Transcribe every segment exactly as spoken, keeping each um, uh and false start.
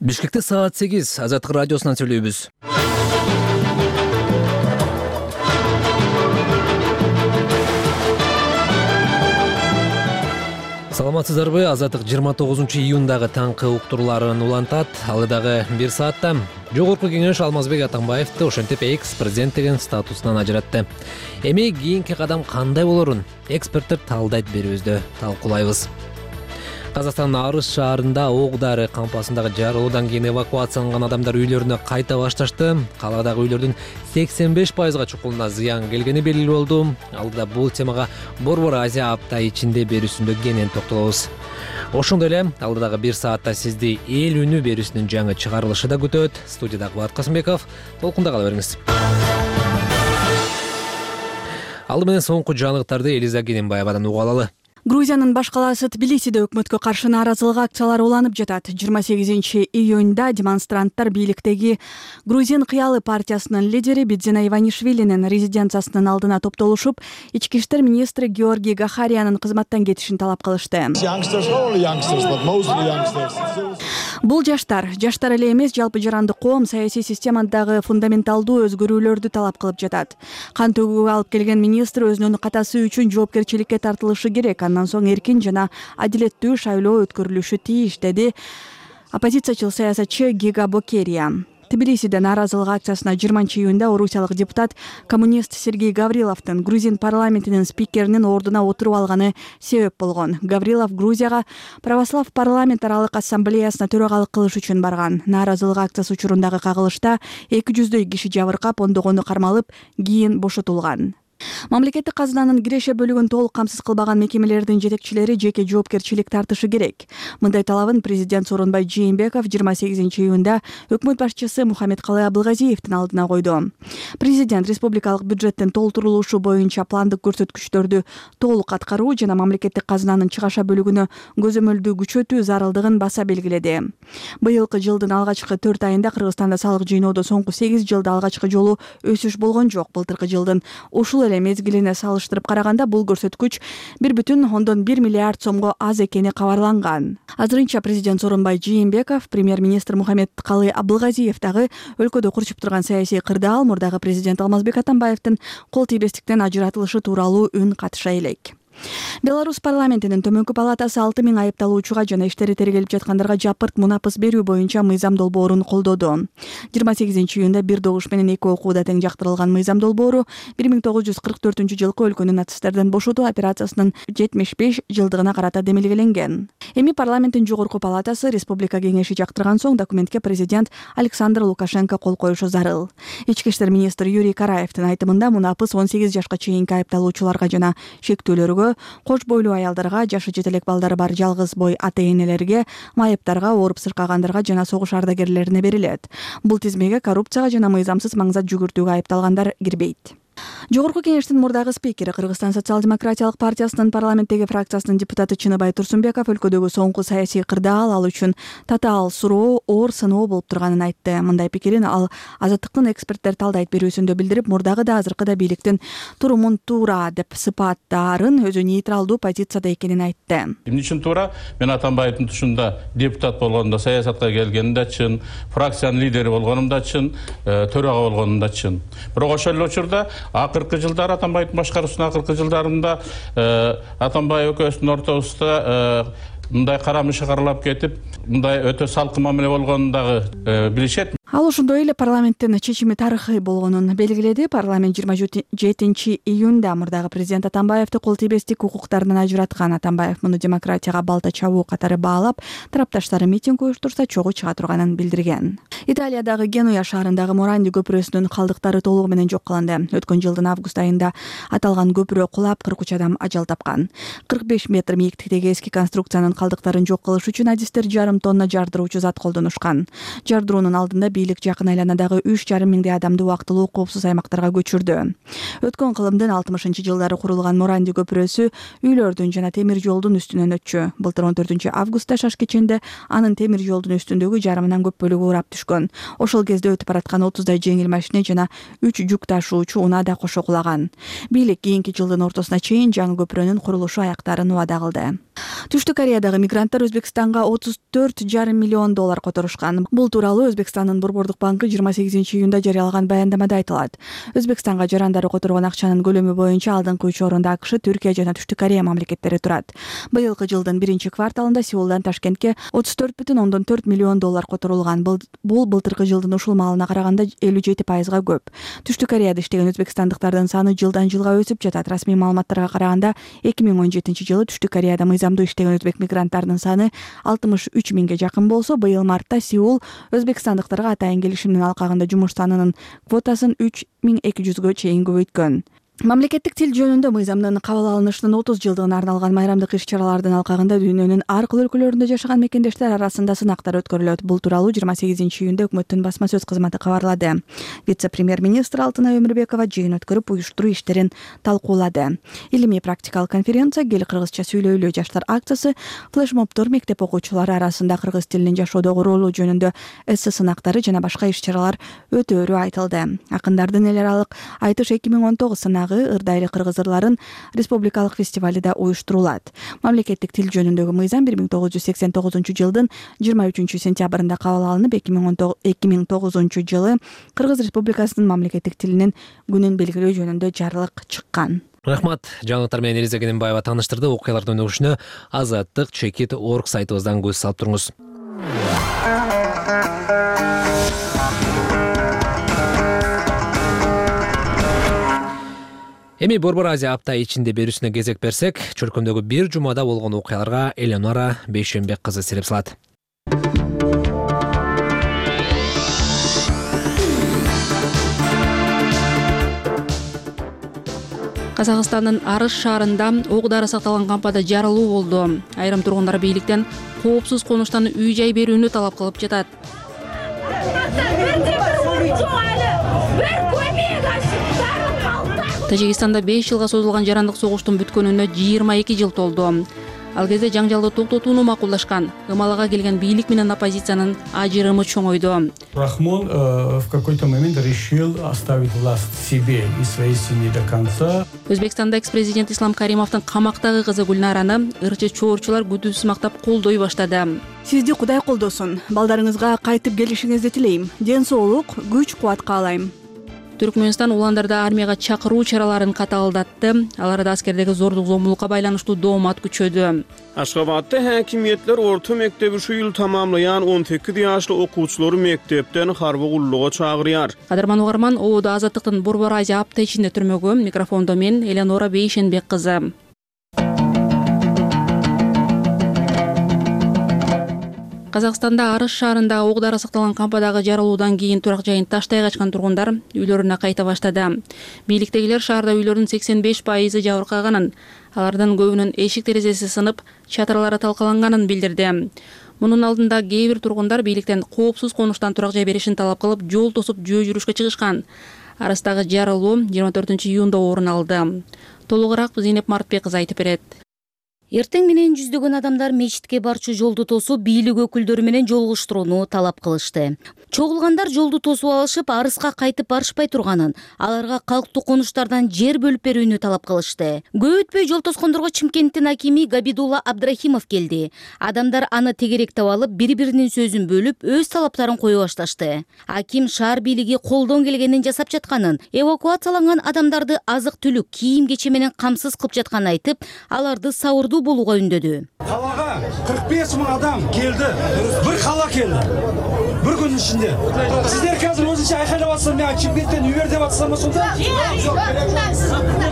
Бишкекте саат сегиз Азаттык радиосунан сүйлөйбүз. Саламатсыздарбы? Азаттык жыйырма тогузунчу июндагы таңкы уктурууларын улантат. Ал дагы бир саатта Жогорку кеңеш Алмазбек Атамбаевди ошентип экс-президент деген статусунан ажыратты. Эми кийинки кадам кандай болорун эксперттер талдайт берүүбүздө талкуулайбыз. Казакстандын Арыс шаарында ок дары кампасындагы жарылуудан кийин эвакуацияланган адамдар үйлөрүнө кайта башташты. Каладагы үйлөрдүн сексен беш пайызга чукулуна зыян келгени белгилүү болду. Алдыда бул темага Борбор Азия апта ичинде берүүсүндө кенен токтолобуз. Ошондой эле алдыдагы бир саатта сизди эл үнү берүүсүнүн жаңы чыгарылышы да күтөт. Студияда Кубат Касымбеков. Толкунда кала бериңиз. Алды менен соңку жаңылыктарды Элиза Кененбаевадан уга алалы. Грузиянын баш калаасы Тбилисиде өкмөткө каршы нааразылык акциялары уланып жатат. жыйырма сегизинчи июнда демонстранттар бийликтеги Грузин кыялы партиясынын лидери Бидзина Иванишвилинин резиденциясынын алдына топтолушуп, ички иштер министри Георгий Гахариянын кызматтан кетишин талап кылышты. Бул жаштар, жаштар эле эмес, жалпы жарандык коом саясий системадагы фундаменталдуу өзгөрүүлөрдү талап кылып жатат. Кан төгүүгө алып келген министр өзүнүн катасы үчүн жоопкерчиликке тартылышы керек. Андан соң эркин жана адилеттүү шайлоо өткөрүлүшү тийиш, деди оппозициячыл саясатчы Гига Бокерия. Тбилисиде нааразылык акциясына жыйырманчы июнда орусиялык депутат коммунист Сергей Гавриловдун Грузин парламентинин спикеринин ордуна отуруп алганы себеп болгон. Гаврилов Грузияга православ парламент аралык ассамблеясына төрагалык кылыш үчүн барган. Нааразылык акциясы учурундагы кагылышта эки жүздөй киши жабыркап, ондогону кармалып, кийин бошотулган. Мамлекеттик казынанын киреше бөлүгүн толук камсыз кылбаган мекемелердин жетекчилери жеке жоопкерчилик тартышы керек. Мындай талабын президент Сооронбай Жээнбеков жыйырма сегизинчи июнда өкмөт башчысы Мухаммедкалый Абылгазиевдин алдына койду. Президент республикалык бюджеттин толтурулушу боюнча пландык көрсөткүчтөрдү толук аткаруу жана мамлекеттик казынанын чыгаша бөлүгүнө көзөмөлдүү күчөтүү зарылдыгын баса белгиледи. Быйылкы жылдын алгачкы төрт айында Кыргызстанда салык жыйноодо соңку сегиз жылда алгачкы жолу өсүш болгон жок. Былтыркы жылдын ушул эле мезгилине салыштырып караганда бул көрсөткүч бир бүтүн ондон бир миллиард сомго аз экени кабарланган. Азырынча президент Сооронбай Жээнбеков, премьер-министр Мухаммедкалый Абылгазиев дагы өлкөдө курчуп турган саясий кырдаал, мурдагы президент Алмазбек Атамбаевдин кол тийбестиктен ажыратылышы тууралуу үн катыша элек. Беларусь парламентинин төмөнкү палатасы алты миң айыпталуучуга жана иштери тергелип жаткандарга жапырт мунапыс берүү боюнча мыйзам долбоорун колдоду. жыйырма сегизинчи июнда бир добуш менен эки окууда тең жактырылган мыйзам долбоору бир миң тогуз жүз кырк төртүнчү жылкы өлкөнү нацисттерден бошотуу операциясынын жетимиш беш жылдыгына карата демилгеленген. Эми парламенттин жогорку палатасы республика кеңеши жактырган соң документке президент Александр Лукашенко кол коюшу зарыл. Ички иштер министри Юрий Караевдин айтымында мунапыс он сегиз жашка чейинки айыпталуучуларга жана шектүүлөргө, кош бойлуу аялдарга, жашы жете элек балдары бар жалгыз бой ата-энелерге, майыптарга, ооруп сыркагандарга жана согуш ардагерлерине берилет. Бул тизмеге коррупцияга жана мыйзамсыз маңзат жүгүртүүгө айыпталгандар кирбейт. Жогорку кеңештин мурдагы спикери, Кыргызстан социал-демократиялык партиясынын парламенттеги фракциясынын депутаты Чыныбай Турсунбеков өлкөдөгү соңку саясий кырдаал ал үчүн татаал суроо, оор сыноо болуп турганын айтты. Мындай пикирин ал Азаттыктын эксперттер талдайт берүүсүндө билдирип, мурдагы да азыркы да бийликтин турумун туура деп сыпаттаарын, өзү нейтралдуу позицияда экенин айтты. Эмне үчүн туура? Мен Атамбаевдин тушунда депутат болгондо, саясатка келгеним да чын, фракциянын лидери болгонум да чын, төрага болгонум да чын. Бирок ошол эле учурда акыркы жылдары Атамбаевдин башкаруусунун акыркы жылдарында Атамбаев экөөбүздүн ортобузда мындай карамышы каралап кетип, мындай өтө салкын мамиле болгонун дагы билишет. Ал ошондой эле парламенттин чечими тарыхый болгонун белгиледи. Парламент жыйырма жетинчи июнда мурдагы президент Атамбаевди кол тийбестик укуктарынан ажыраткан. Атамбаев муну демократияга балта чабуу катары баалап, тарапташтары митинг уюштурса чогуу чыга турганын билдирген. Италиядагы Генуя шаарындагы Моранди көпүрөсүнүн калдыктары толугу менен жок кылынды. Өткөн жылдын август айында аталган көпүрө кулап, кырк үч адам ажал тапкан. кырк беш метр мийиктиктеги эски конструкциянын калдыктарын жок кылыш үчүн адистер жарым тонна жардыруучу зат колдонушкан. Жардыруунун алдында бийлик жакын айланадагы үч жарым миңдей адамды убактылуу коопсуз аймактарга көчүрдү. Өткөн кылымдын алтымышынчы жылдары курулган Моранди көпүрөсү үйлөрдүн жана темир жолдун үстүнөн өтчү. Былтыр он төртүнчү августта шаш кеченде анын темир жолдун үстүндөгү жарымынан көп бөлүгү урап түшкөн. Ошол кезде өтүп бараткан отуздай жеңил машина жана үч жүк ташуучу унаа да кошо кулаган. Бийлик кийинки жылдын ортосуна чейин жаңы көпүрөнүн курулушу аяктарын убада кылды. Түштүк Кореядагы мигранттар Өзбекстанга отуз төрт жарым миллион доллар которушкан. Бул тууралуу Өзбекстандын Борбордук банкы жыйырма сегизинчи июнда жарыялаган баяндамада айтылат. Өзбекстанга жарандары которгон акчанын көлөмү боюнча алдыңкы үч орунда АКШ, Түркия жана Түштүк Корея мамлекеттери турат. Быйылкы жылдын биринчи кварталында Сеулдан Ташкентке отуз төрт бүтүн ондон төрт миллион доллар которулган. Бул былтыркы жылдын ушул маалына караганда элүү жети пайызга көп. Түштүк Кореяда иштеген өзбекстандыктардын саны жылдан жылга өсүп жатат. Расмий маалыматтарга караганда эки миң он жетинчи жылы Түштүк Кореяда мыйзамдуу иштеген өзбек мигранттарынын саны алтымыш үч миңге жакын болсо, быйыл мартта Сеул өзбекстандыктарга атайын келишимдин алкагында жумуш санынын квотасын үч миң эки жүзгө чейин көбөйткөн. Мамлекеттик тил жөнүндө мыйзамдын кабыл алынышынын отуз жылдыгына арналган майрамдык иш-чаралардын алкагында дүйнөнүн ар кыл өлкөлөрүндө жашаган мекендештер арасында сынактар өткөрүлөт. Бул тууралуу жыйырма сегизинчи июнда өкмөттүн басма сөз кызматы кабарлады. Вице-премьер-министр Алтынай Өмүрбекова жыйын өткөрүп, уюштуруу иштерин талкуулады. Илимий практикалык конференция, Кел кыргызча сүйлөйлү жаштар акциясы, флешмобдор, мектеп окуучулары арасында кыргыз тилинин жашоодогу ролу жөнүндө эссе сынактары жана башка иш-чаралар өтөөрү айтылды. Акындардын эл аралык айтыш эки миң он тогуз сынагы ырдайры кыргыз ырларын республикалык фестивалida уюштурулат. Мамлекеттик тил жөнүндөгү мыйзам бир миң тогуз жүз сексен тогузунчу жылдын жыйырма үчүнчү сентябрында кабыл алынып, эки миң тогузунчу жылы Кыргыз Республикасынын мамлекеттик тилинин күнүн белгилөө жөнүндө жарлык чыккан. Рахмат. Жаңылыктар менен Элиза Кененбаева тааныштырды. Окуялардын өнүгүшүнө азаттык чекит точка орг сайтыбыздан көз салып туруңуз. Эми Борбор Азия апта ичинде берүүсүнө кезек берсек, чөлкөмдөгү бир жумада болгон окуяларга Элеонора Бейшенбек кызы сирип салат. Казакстандын Арыш шаарында ок дары сакталган кампада жарылуу болду. Айрым тургундар бийликтен коопсуз конуштан үй-жай берүүнү талап кылып жатат. Тажикстанда беш жылга созулган жарандык согуштун бүткөнүнө жыйырма эки жыл толду. Ал кезде жаңжалды токтотууну макулдашкан. Ымалага келген бийлик менен оппозициянын ажырымы чоңойду. Рахмон в какой-то момент решил оставить власть себе и своей семье до конца. Өзбекстанда экс-президент Ислам Каримовдун камактагы кызы Гүлнараны ырчы чоорчулар күдүүсүз мактап колдой баштады. Сизди Кудай колдосун. Балдарыңызга кайтып келишиңизди тилейм. Ден соолук, күч кубат каалайм. Түркмөнстан уландарды армияга чакыруу чараларын катаалдатты. Аларда аскердеги зордук зомбулукка байланыштуу доомат күчөдү. Ашгабадда хакимиятлер орто мектеби şu yıl tamamlayan он сегиз жаштуу окуучулары мектептен харбы куллуга чагырыяр. Кадырман угарман, Оодо Азаттыктын Борбор Азия апта ичинде түрмөгү. Микрофондо мен Элеонора Бейшенбек кызы. Казакстанда Арыш шаарында ок дары сакталган кампадагы жарылуудан кийин турак жайын таштай качкан тургундар үйлөрүнө кайта баштады. Бийликтегилер шаарда үйлөрдүн сексен беш пайызы жабыркаганын, алардын көбүнүн эшик терезеси сынып, чатырлары талкаланганын билдирди. Мунун алдында кээ бир тургундар бийликтен коопсуз конуштан турак жай беришин талап кылып, жол тосуп жөө жүрүшкө чыгышкан. Арыстагы жарылуу жыйырма төртүнчү июнда орун алды. Толугураак Зейнеп Мартбек кызы айтып берет. Эртең менен жүздөгөн адамдар мечитке барчу жолду тосуп, бийлик өкүлдөрү менен жолугуштурууну талап кылышты. Чогулгандар жолду тосуп алышып, Арыска кайтып барышпай турганын, аларга калктуу конуштардан жер бөлүп берүүнү талап кылышты. Көп өтпөй жол тоскондорго Чымкенттин акими Габидулла Абдрахимов келди. Адамдар аны тегеректеп алып, бири-биринин сөзүн бөлүп, өз талаптарын кое башташты. Аким шаар бийлиги колдон келгенин жасап жатканын, эвакуацияланган адамдарды азык-түлүк, кийим-кече менен камсыз кылып жатканын айтып, аларды сабырдуу болууга үндөдү. Калага кырк беш миң адам келди. Бир кала келди. Бир күн ичинде. Сиздер қазір өзүнчө айкайлап атсаңар, мен Чымкенттен үйөр деп атсаңар сонда?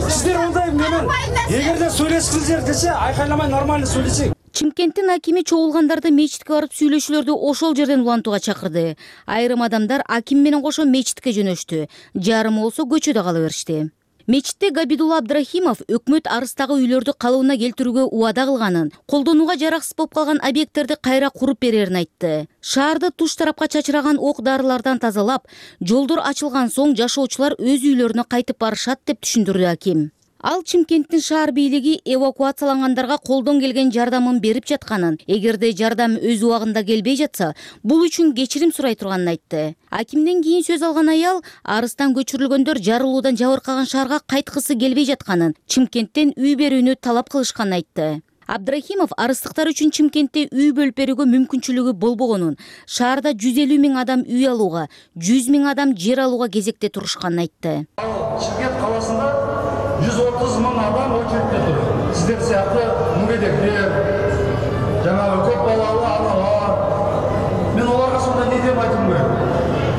Сиздер ондай менен эгерде сүйлөшсеңер десе, айкайламай нормально сүйлөшсек. Чымкенттин акими чогулгандарды мечитке барып сүйлөшүүлөрдү ошол жерден улантууга чакырды. Айрым адамдар аким менен кошо мечитке жөнөштү. Жарымы болсо көчөдө кала беришти. Мечитте Габидулла Абдрахимов өкмөт арыстагы үйлөрдү калыбына келтирүүгө убада кылганын, колдонууга жараксыз болуп калган объекттерди кайра куруп берерин айтты. Шаарды туш тарапка чачыраган ок дарылардан тазалап, жолдор ачылган соң жашоочулар өз үйлөрүнө кайтып барышат деп түшүндүрдү аким. Ал Чымкенттин шаар бийлиги эвакуациялангандарга колдон келген жардамын берип жатканын, эгерде жардам өз убагында келбей жатса, бул үчүн кечирим сурай турганын айтты. Акимден кийин сөз алган аял арыстан көчүрүлгөндөр жарылуудан жабыркаган шаарга кайткысы келбей жатканын, Чымкенттен үй берүүнү талап кылышканын айтты. Абдрахимов арыстыктар үчүн Чымкентте үй бөлүп берүүгө мүмкүнчүлүгү болбогонун, шаарда жүз элүү миң адам үй алууга, жүз миң адам жер алууга кезекте турушканын айтты. Чымкент каласында жүз отуз миң адам очередте тур. Сиздер сыяктуу мүгедектер, жанагы көп балалуу аналар. Мен оларга сонда не деп айтым керек?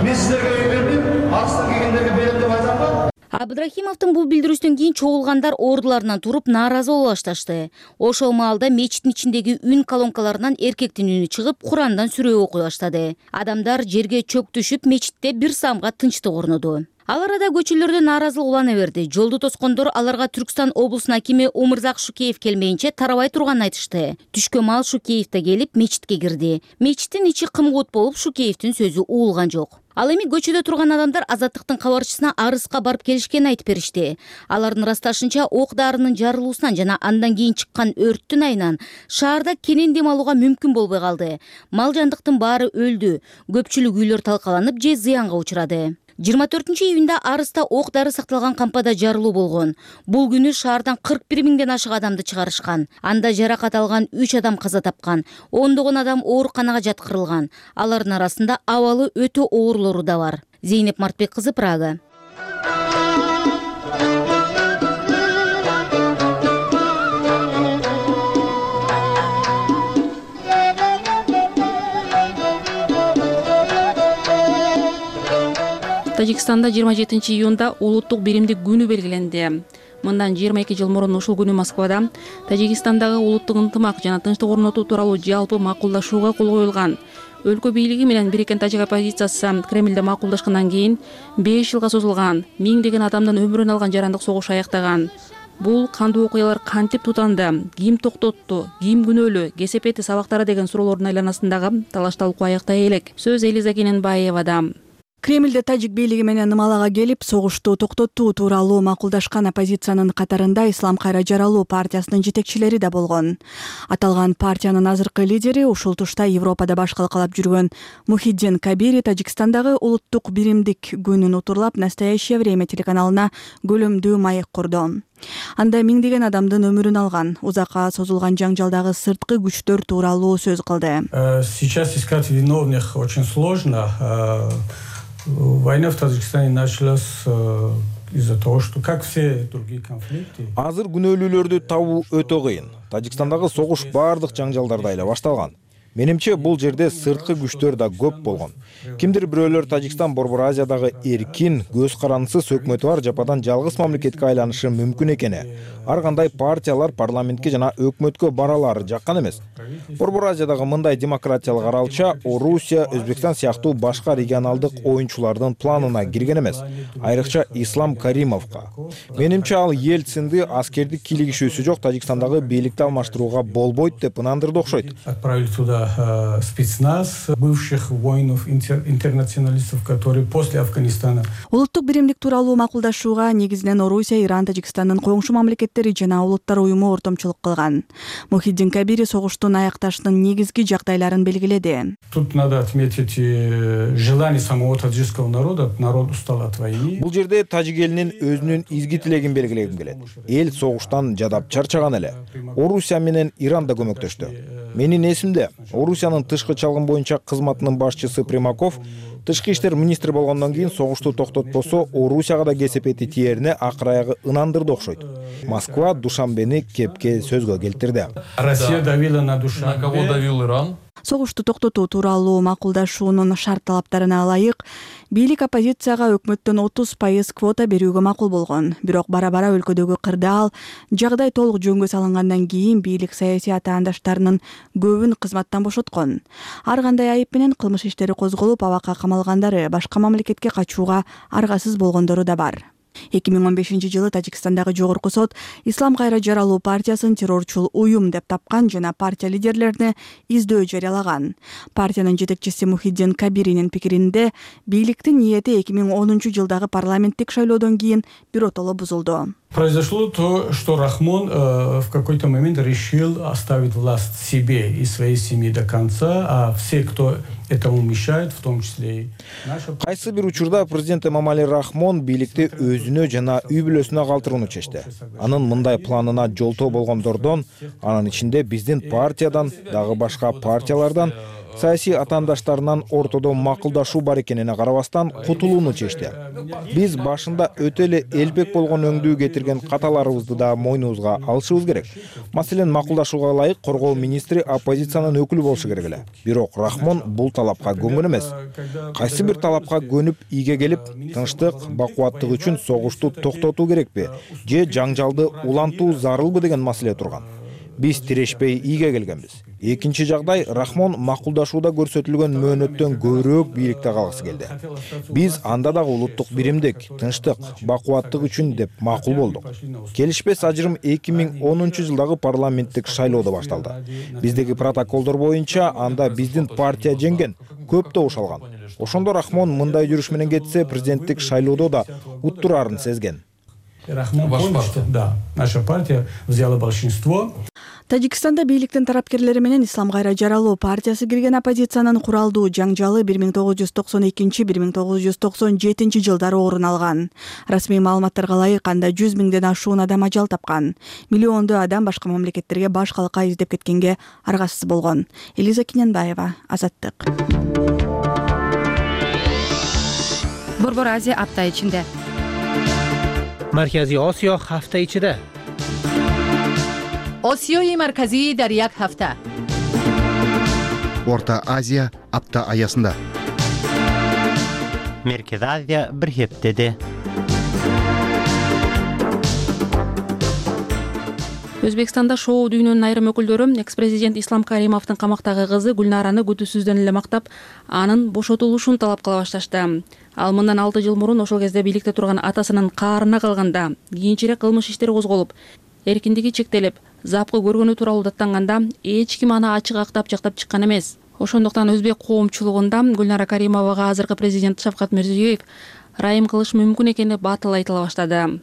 Мен сиздерге үй бербейм, арыстан келгендерге берем деп айтамбы? Абдрахимовдун бул билдирүүсүнөн кийин чогулгандар ордуларынан туруп нааразы боло башташты. Ошол маалда мечиттин ичиндеги үн колонкаларынан эркектин үнү чыгып, Курандан сүрө окуй баштады. Адамдар жерге чөк түшүп, мечитте бир самга тынчтык орноду. Ал арада көчөлөрдө нааразылык улана берди. Жолду тоскондор аларга Түркстан облусунун акими Умурзак Шукеев келмейинче тарабай турганын айтышты. Түшкө маал Шукеев да келип мечитке кирди. Мечиттин ичи кымгуут болуп, Шукеевдин сөзү угулган жок. Ал эми көчөдө турган адамдар Азаттыктын кабарчысына арыска барып келишкенин айтып беришти. Алардын ырасташынча ок дарынын жарылуусунан жана андан кийин чыккан өрттүн айынан шаарда кенен дем алууга мүмкүн болбой калды. Мал жандыктын баары өлдү. Көпчүлүк үйлөр талкаланып же зыянга учурады. жыйырма төртүнчү июнда Арыста ок дары сакталган кампада жарылуу болгон. Бул күнү шаардан кырк бир миңден ашык адамды чыгарышкан. Анда жаракат алган үч адам каза тапкан. ондогон адам ооруканага жаткырылган. Алардын арасында абалы өтө оорлору да бар. Зейнеп Мартбек кызы, Прага. Тажикстанда жыйырма жетинчи июнда улуттук биримдик күнү белгиленди. Мындан жыйырма эки жыл мурун ушул күнү Москвада Тажикстандагы улуттук ынтымак жана тынчтык орнотуу тууралуу жалпы макулдашууга кол коюлган. Өлкө бийлиги менен бириккен тажик оппозициясы Кремлде макулдашкандан кийин беш жылга созулган, миңдеген адамдын өмүрүн алган жарандык согуш аяктаган. Бул кандуу окуялар кантип тутанды, ким токтотту, ким күнөөлүү, кесепети сабактары деген суроолордун айланасындагы талаш талкуу аяктай элек. Сөз Элиза Кененбаевада. Кремлде тажик бийлиги менен Нымалага келип, согушту токтотуу тууралуу макулдашкан оппозициянын катарында Ислам кайра жаралуу партиясынын жетекчилери да болгон. Аталган партиянын азыркы лидери ушул тушта Европада баш калкалап жүргөн Мухиддин Кабири Тажикстандагы улуттук биримдик күнүн утурлап «Настоящее время» телеканалына көлөмдүү маек курду. Анда миңдеген адамдын өмүрүн алган, узакка созулган жаңжалдагы сырткы күчтөр тууралуу сөз кылды. Сейчас искать виновных очень сложно. Война в Таджикистане началась из-за того, что, как все другие конфликты. Азыр күнөөлүүлөрдү табуу өтө кыйын. Тажикстандагы согуш бардык жаңжалдарда эле башталган. Менимче бул жерде сырткы күчтөр да көп болгон. Кимдир бирөөлөр Тажикстан Борбор Азиядагы эркин, көз карандысыз өкмөтү бар жападан жалгыз мамлекетке айланышы мүмкүн экени, ар кандай партиялар парламентке жана өкмөткө баралары жаккан эмес. Борбор Азиядагы мындай демократиялык аралча Орусия, Өзбекстан сыяктуу башка регионалдык оюнчулардын планына кирген эмес, айрыкча Ислам Каримовго. Менимче ал Ельцинди аскердик кийлигишүүсү жок Тажикстандагы бийликти алмаштырууга болбойт деп ынандырды окшойт. Отправили туда спецназ бывших воинов, интернационалистов, которые после Афганистана. Улуттук биримдик тууралуу макулдашууга негизинен Орусия, Иран, Тажикстандын коңшу мамлекеттери жана улуттар уюму ортомчулук кылган. Мухиддин Кабири согуштун аякташынын негизги жагдайларын белгиледи. Тут надо отметить желание самого таджикского народа. Народ устал от войны. Бул жерде тажик элинин өзүнүн изги тилегин белгилегим келет. Эл согуштан жадап чарчаган эле. Орусия менен Иран да көмөктөштү. Менин эсимде, Орусиянын тышкы чалгын боюнча кызматынын башчысы Примаков тышкы иштер министри болгондон кийин согушту токтотпосо Орусияга да кесепети тиерине акыр аягы ынандырды окшойт. Москва Душанбени кепке сөзгө келтирди. Россия давила на Душанбе. На кого давил Иран? Согушту токтотуу тууралуу макулдашуунун шарт талаптарына ылайык бийлик оппозицияга өкмөттөн отуз пайыз квота берүүгө макул болгон. Бирок бара-бара өлкөдөгү кырдаал, жагдай толук жөнгө салынгандан кийин бийлик саясий атаандаштарынын көбүн кызматтан бошоткон. Ар кандай айып менен кылмыш иштери козголуп, абакка камалгандары, башка мамлекетке качууга аргасыз болгондору да бар. эки миң он бешинчи жылы Тажикстандагы жогорку сот Ислам кайра жаралуу партиясын террорчул уюм деп тапкан жана партия лидерлерине издөө жарыялаган. Партиянын жетекчиси Мухиддин Кабиринин пикиринде бийликтин ниети эки миң онунчу жылдагы парламенттик шайлоодон кийин биротоло бузулду. Произошло то, что Рахмон э, в какой-то момент решил оставить власть себе и своей семье до конца, а все, кто этому мешает, в том числе и наша... Кайсы бир учурда президент Эмомали Рахмон бийликти өзүнө жана үй бүлөсүнө калтырууну чечти. Анын мындай планына жолтоо болгондордон, анын ичинде биздин партиядан, дагы башка партиялардан, саясий атаандаштарынан ортодо макулдашуу бар экенине карабастан кутулууну чечти. Биз башында өтө эле элбек болгон өңдүү кетирген каталарыбызды да мойнубузга алышыбыз керек. Маселен, макулдашууга ылайык коргоо министри оппозициянын өкүлү болушу керек эле. Бирок Рахмон бул талапка көнгөн эмес. Кайсы бир талапка көнүп ийге келип, тынчтык, бакубаттык үчүн согушту токтотуу керекпи же жаңжалды улантуу зарылбы деген маселе турган. Биз тирешпей ийге келгенбиз. Экинчи жагдай, Рахмон макулдашууда көрсөтүлгөн мөөнөттөн көбүрөөк бийликте калгысы келди. Биз анда дагы улуттук биримдик, тынчтык, бакубаттык үчүн деп макул болдук. Келишпес ажырым эки миң онунчу жылдагы парламенттик шайлоодо башталды. Биздеги протоколдор боюнча анда биздин партия жеңген, көп добуш алган. Ошондо Рахмон мындай жүрүш менен кетсе, президенттик шайлоодо да уттурарын сезген. Рахмон понял, что да, наша партия взяла большинство. Тажикстанда бийликтин тарапкерлери менен Ислам кайра жаралуу партиясы кирген оппозициянын куралдуу жаңжалы бир миң тогуз жүз токсон экинчи — бир миң тогуз жүз токсон жетинчи жылдары орун алган. Расмий маалыматтарга ылайык, анда жүз миңден ашуун адам ажал тапкан. Миллиондоо адам башка мамлекеттерге баш калка издеп кеткенге аргасыз болгон. Элиза Киненбаева, Азаттык. Борбор Азия апта ичинде. Марказий Осиё ҳафта ичида. Осиёи марказӣ дар як ҳафта. Орта Азия апта аясында. Меркез Азия бир ҳептеде. Өзбекстанда шоу дүйнөнүн айрым өкүлдөрү экс-президент Ислам Каримовдун камактагы кызы Гүлнараны күтүүсүздөн эле мактап, анын бошотулушун талап кыла башташты. Ал мындан алты жыл мурун ошол кезде бийликте турган атасынын каарына калганда кийинчерээк кылмыш иштери козголуп, эркиндиги чектелип, запкы көргөнү тууралуу даттанганда эч ким аны ачык актап жактап чыккан эмес. Ошондуктан өзбек коомчулугунда Гүлнара Каримовага азыркы президент Шавкат Мирзиёев ырайым кылыш мүмкүн экени батыл айтыла баштады.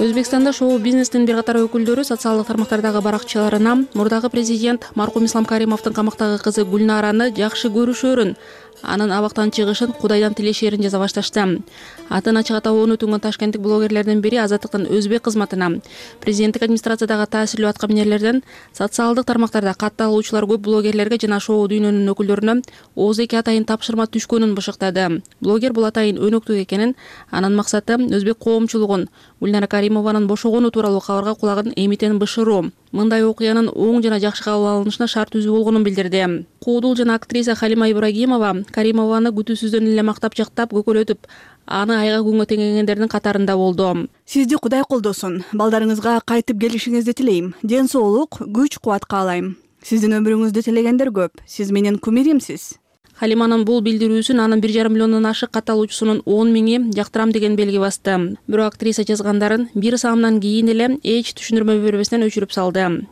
Өзбекстанда шоу бизнестин бир катар өкүлдөрү социалдык тармактардагы баракчаларына мурдагы президент маркум Ислам Каримовдун камактагы кызы Гүлнараны жакшы көрүшөрүн, анын абактан чыгышын Кудайдан тилешерин жаза башташты. Атын ачык атабоону түнгөн ташкенттик блогерлердин бири Азаттыктын өзбек кызматына президенттик администрациядагы таасирлүү аткаминерлерден социалдык тармактарда катталуучулар көп блогерлерге жана шоу дүйнөнүн өкүлдөрүнө Оз эки атайын тапшырма түшкөнүн бышыктады. Блогер бул атайын өнөктүк экенин, анын максаты өзбек коомчулугун Гүлнара Каримованын бошогону тууралуу кабарга кулагын эмитен бышыруу. Мындай окуянын оң жана жакшы кабыл алынышына шарт түзүү болгонун билдирди. Куудул жана актриса Халима Ибрагимова Каримованы күтүүсүздөн эле мактап жактап көкөлөтүп, аны айга күнгө теңегендердин катарында болду. Сизди Кудай колдосун. Балдарыңызга кайтып келишиңизди тилейм. Ден соолук, күч кубат каалайм. Сиздин өмүрүңүздү тилегендер көп. Сиз менин кумиримсиз. Халиманын бул билдирүүсүн анын бир жарым миллиондон ашык катталуучусунун он миңи жактырам деген белги басты. Бирок актриса жазгандарын бир саамдан кийин эле эч түшүндүрмө бербестен өчүрүп салды.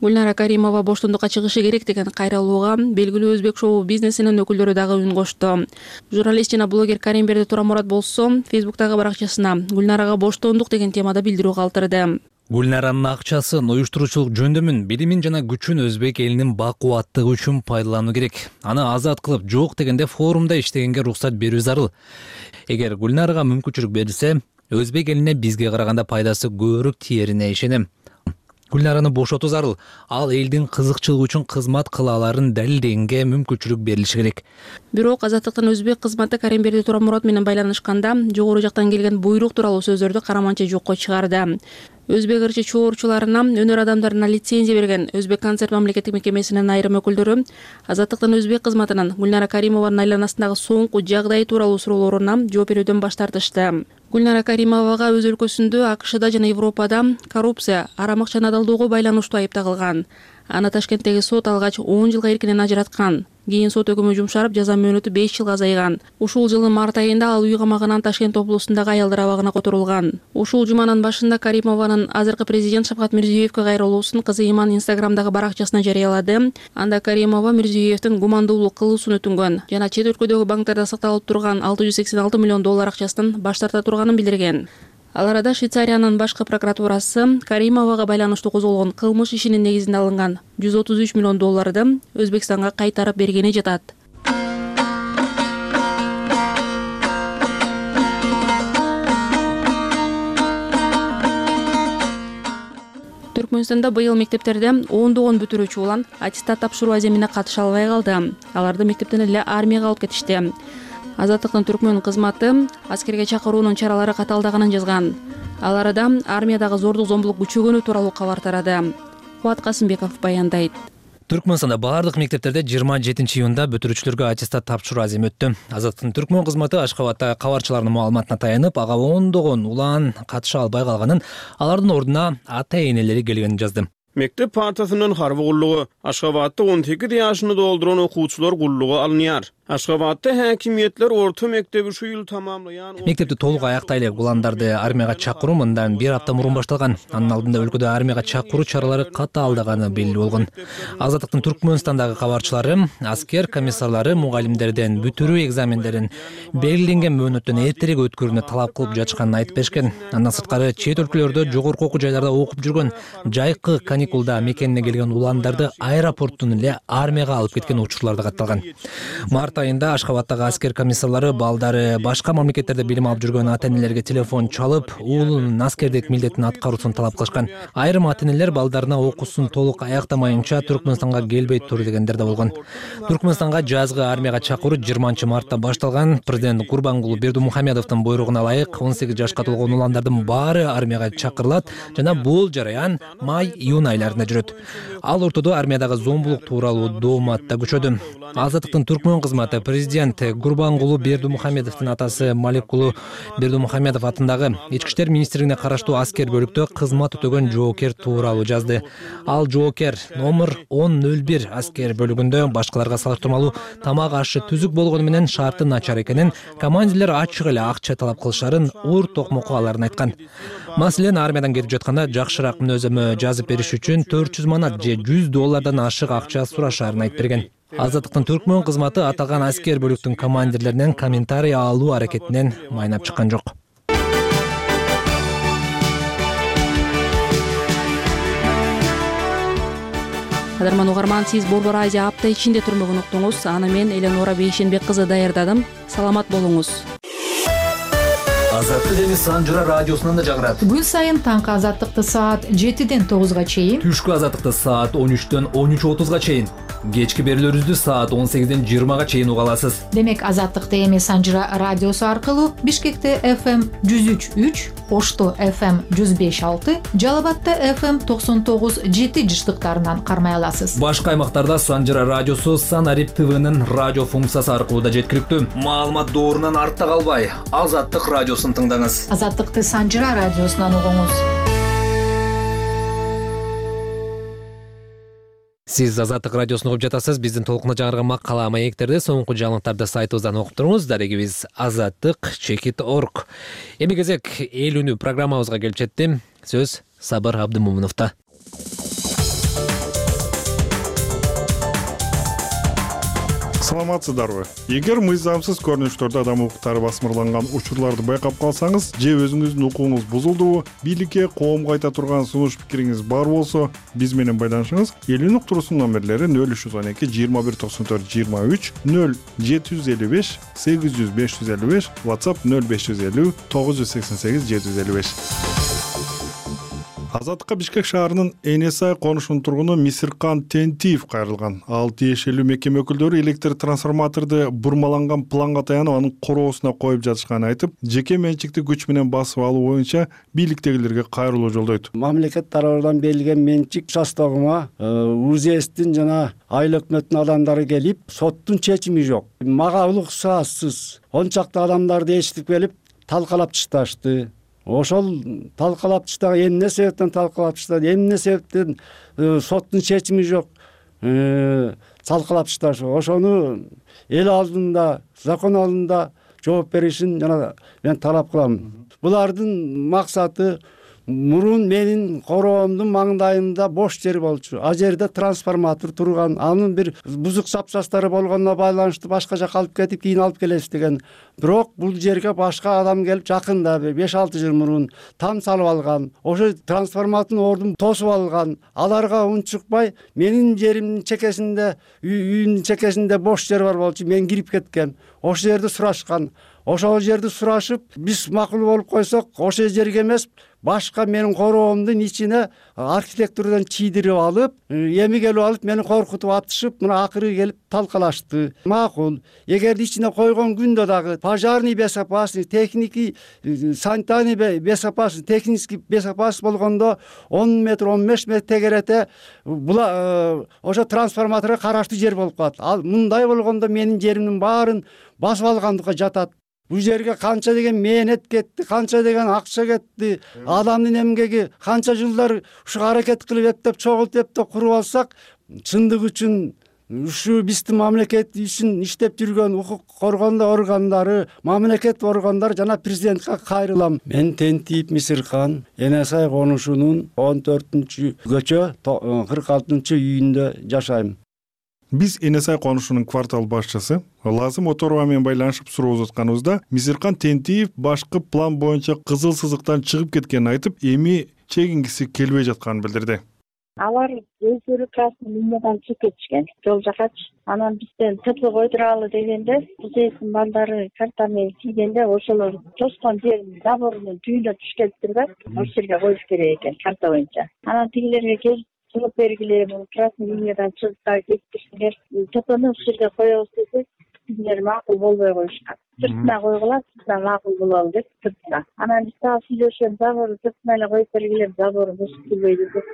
Гүлнара Каримова боштондукка чыгышы керек деген кайрылууга белгилүү өзбек шоу бизнесинин өкүлдөрү дагы үн кошту. Журналист жана блогер Каримберди Турамурат болсо Фейсбуктагы баракчасына Гүлнарага боштондук деген темада билдирүү калтырды. Гүлнаранын акчасын, уюштуруучулук жөндөмүн, билимин жана күчүн өзбек элинин бакубаттыгы үчүн пайдалануу керек. Аны азат кылып, жок дегенде форумда иштегенге уруксат берүү зарыл. Эгер Гүлнарага мүмкүнчүлүк берилсе, өзбек элине бизге караганда пайдасы көбүрөөк тиерине ишенем. Гүлнараны бошотуу зарыл. Ал элдин кызыкчылыгы үчүн кызмат кыла аларын далилдегенге мүмкүнчүлүк берилиши керек. Бирок Азаттыктын өзбек кызматы Каримберди Турамурат менен байланышканда жогору жактан келген буйрук тууралуу сөздөрдү караманча жокко чыгарды. Өзбек ырчы чоорчуларына, өнөр адамдарына лицензия берген Өзбек концерт мамлекеттик мекемесинин айрым өкүлдөрү Азаттыктын өзбек кызматынан Гүлнара Каримованын айланасындагы соңку жагдай тууралуу суроолоруна жооп берүүдөн баш тартышты. Гүлнара Каримовага өз өлкөсүндө, АКШда жана Европада коррупция, арамык жана алдоого байланыштуу айыпталган. Аны Ташкенттеги сот алгач он жылга эркинен ажыраткан. Кийин сот өкүмү жумшарып, жаза мөөнөтү беш жылга азайган. Ушул жылдын март айында ал үй камагынан Ташкент облусундагы аялдар абагына которулган. Ушул жуманын башында Каримованын азыркы президент Шавкат Мирзиёевге кайрылуусун кызы Иман Инстаграмдагы баракчасына жарыялады. Анда Каримова Мирзиёевдин гумандуулук кылуусун өтүнгөн жана чет өлкөдөгү банктарда сакталып турган алты жүз сексен алты миллион доллар акчасынан баш тарта турганын билдирген. Ал арада Швейцариянын башкы прокуратурасы Каримовага байланыштуу козголгон кылмыш ишинин негизинде алынган жүз отуз үч миллион долларды Өзбекстанга кайтарып бергени жатат. Түркмөнстанда быйыл мектептерде ондогон бүтүрүүчү улан аттестат тапшыруу аземине катыша албай калды. Аларды мектептен эле армияга алып кетишти. Азаттыктын түркмөн кызматы аскерге чакыруунун чаралары каталдаганын жазган. Ал арада армиядагы зордук зомбулук күчөгөнү тууралуу кабар тарады. Кубат Касымбеков баяндайт. Түркмөнстанда баардык мектептерде жыйырма жетинчи июнда бүтүрүүчүлөргө аттестат тапшыруу аземи өттү. Азаттыктын түркмөн кызматы Ашкабадтагы кабарчылардын маалыматына таянып, ага ондогон улан катыша албай калганын, алардын ордуна ата-энелери келгенин жазды. Мектеп партасынын харбы куллугу Ашгабадта он сегиз жашыны долдуран окуучулар куллугу алынýar. Ашгабадта хакимиятлер орто мектеби ушул ýyl tamamlaýan. Мектепти толук аяктайлы уландарды армияга чакыруу мындан бир апта мурун башталган. Анын алдында өлкөдө армияга чакыруу чаралары катаалдаганы белгилүү болгон. Азаттыктын Түркмөнстандагы кабарчылары аскер комиссарлары мугалимдерден бүтүрүү экзамендерин белгиленген мөөнөттөн эртерээк өткөрүүнү талап кылып жатышканын айтып беришкен. Андан сырткары чет өлкөлөрдө жогорку окуу жайларда окуп жүргөн, жайкы каникулда мекенине келген уландарды аэропорттон эле армияга алып кеткен учурлар да катталган. Март айында Ашгабадтагы аскер комиссарлары балдары башка мамлекеттерде билим алып жүргөн ата-энелерге телефон чалып, уулунун аскердик милдетин аткаруусун талап кылышкан. Айрым ата-энелер балдарына окуусун толук аяктамайынча Түркмөнстанга келбей тур дегендер да болгон. Түркмөнстанга жазгы армияга чакыруу жыйырманчы мартта башталган. Президент Гурбангулу Бердимухамедовдун буйругуна ылайык он сегиз жашка толгон уландардын баары армияга чакырылат жана бул жараян май-июнь айларында жүрөт. Ал ортодо армиядагы зомбулук тууралуу дооматта күчөдү. Азаттыктын түркмөн кызматы президент Гурбангулу Бердимухамедовдун атасы Маликулу Бердимухамедов атындагы Ички иштер министрлигине караштуу аскер бөлүктө кызмат өтөгөн жоокер тууралуу жазды. Ал жоокер номер он ноль бир аскер бөлүгүндө башкаларга салыштырмалуу тамак ашы түзүк болгону менен шарты начар экенин, командирлер ачык эле акча талап кылышарын уур токмокко аларын айткан. Маселен, армиядан кетип жатканда жакшыраак мүнөзөмө жазып бериш үчүн төрт жүз манат же жүз доллардан ашык акча сурашаарын айтып берген. Азаттыктын түркмөн кызматы аталган аскер бөлүктүн командирлеринен комментарий алуу аракетинен майнап чыккан жок. Кадырман угарман, сиз Борбор Азия апта ичинде түрмөгүн уктуңуз. Аны мен Эленора Бейшенбек кызы даярдадым. Саламат болуңуз. Азаттык эми Санжыра радиосунан да жагырат. Күн сайын таңкы азаттыкты саат жетиден тогузга чейин, түшкү азаттыкты саат он үчтөн он үч отузга чейин, кечки берүүлөрүбүздү саат он сегизден жыйырмага чейин уга аласыз. Демек азаттыкты эми Санжыра радиосу аркылуу Бишкекте эф эм жүз үч үч, Ошто эф эм жүз беш алты, Жалал Абадта эф эм токсон тогуз жети жыштыктарынан кармай аласыз. Башка аймактарда Санжыра радиосу Санарип ТВнын радио функциясы аркылуу да жеткиликтүү. Маалымат доорунан артта калбай, Азаттык радиосун тыңдаңыз. Азаттыкты Санжыра радиосунан угуңуз. Сиз Азаттык радиосун угуп жатасыз. Биздин толкуна жаңырган макала маектерди соңку жаңылыктарды сайтыбыздан окуп туруңуз. Дарегибиз азаттык чекит точка орг. Эми кезек эл үнү программабызга келип жетти. Сөз Сабыр Абдымомуновдо. Саламатсыздарбы? Эгер мыйзамсыз көрүнүштөрдө адам укуктары басмырланган учурларды байкап калсаңыз же өзүңүздүн укугуңуз бузулдубу, бийликке, коомго айта турган сунуш пикириңиз бар болсо, биз менен байланышыңыз. Эл үнү уктуруусунун номерлери нөл үч жүз он эки жыйырма бир токсон төрт жыйырма үч, нөл жети жүз элүү беш сегиз жүз беш жүз элүү беш, WhatsApp нөл беш жүз элүү тогуз жүз сексен сегиз жети жүз элүү беш. Азаттыкка Бишкек шаарынын Энесай конушунун тургуну Мисиркан Тентиев кайрылган. Ал тиешелүү мекеме өкүлдөрү электр трансформаторду бурмаланган планга таянып анын короосуна коюп жатышканын айтып, жеке менчиктик күч менен басып алуу боюнча бийликтегилерге кайрылуу жолдойт. Мамлекет тарабынан берилген менчик участогума УЗСтин жана айыл өкмөттүн адамдары келип, соттун чечими жок. Мага уруксатсыз он чакты адамдарды ээрчитип келип талкалап ташташты. Ошол талкалап таштаган эмне себептен талкалап таштады, эмне себептен соттун чечими жок талкалап ташташы. Ошону эл алдында, закон алдында жооп беришин жана мен талап кылам. Булардын максаты мурун менин короомдун маңдайында бош жер болчу. А жерде трансформатор турган, анын бир бузук запчастары болгонуна байланыштуу башка жака алып кетип, кийин алып келесиз деген. Бирок бул жерге башка адам келип жакында беш алты жыл мурун там салып алган. Ошо трансформатордун ордун тосуп алган. Аларга унчукпай менин жеримдин чекесинде, үйүмдүн чекесинде бош жер бар болчу. Мен кирип кеткем. Ошол жерди сурашкан. Ошол жерди сурашып, биз макул болуп койсок, ошол жерге эмес, башка менин короомдун ичине архитектурдан чийдирип алып, эми келип алып, мени коркутуп атышып, мына акыры келип талкалашты. Макул. Эгерде ичине койгон күндө дагы пожарный безопасность, техники, санитарный безопасность, технический безопасность болгондо он метр, он беш метр тегерете була ошо трансформаторго караштуу жер болуп калат. Ал мындай болгондо менин жеримдин баарын басып алгандыкка жатат. Бул жерге канча деген мээнет кетти, канча деген акча кетти, адамдын эмгеги канча жылдар ушу аракет кылып эптеп, чогултуп эптеп куруп алсак, чындык үчүн ушу биздин мамлекет үчүн иштеп жүргөн укук коргондо органдары, мамлекет органдары жана президентке кайрылам. Мен Тентиев Мисиркан, Энесай конушунун он төртүнчү көчө кырк алтынчы үйүндө жашайм. Биз Энесай конушунун квартал башчысы Лазым Оторова менен байланышып суроо узатканыбызда Мисиркан Тентиев башкы план боюнча кызыл сызыктан чыгып кеткенин айтып, эми чегингиси келбей жатканын билдирди. Алар өздөрү красный линиядан чыгып кетишкен жол жакачы. Анан бизден ТП койдуралы дегенде, УЗСтин балдары карта менен тийгенде ошолор тоскон жердин заборунун түбүнө түшкөнтүр да, ошол жерге коюш керек экен карта боюнча. Анан тигилерге келип жооп бергиле, бул красный линиядан чыгып кетишсиңер, ТПны ушул жерге коебуз десек, тигилер макул болбой коюшкан. Сыртына койгула, сыртына макул болобу деп сыртына. Анан биз дагы сүйлөшөм, заборду сыртына эле коюп бергиле, забору бузуп келбейди деп.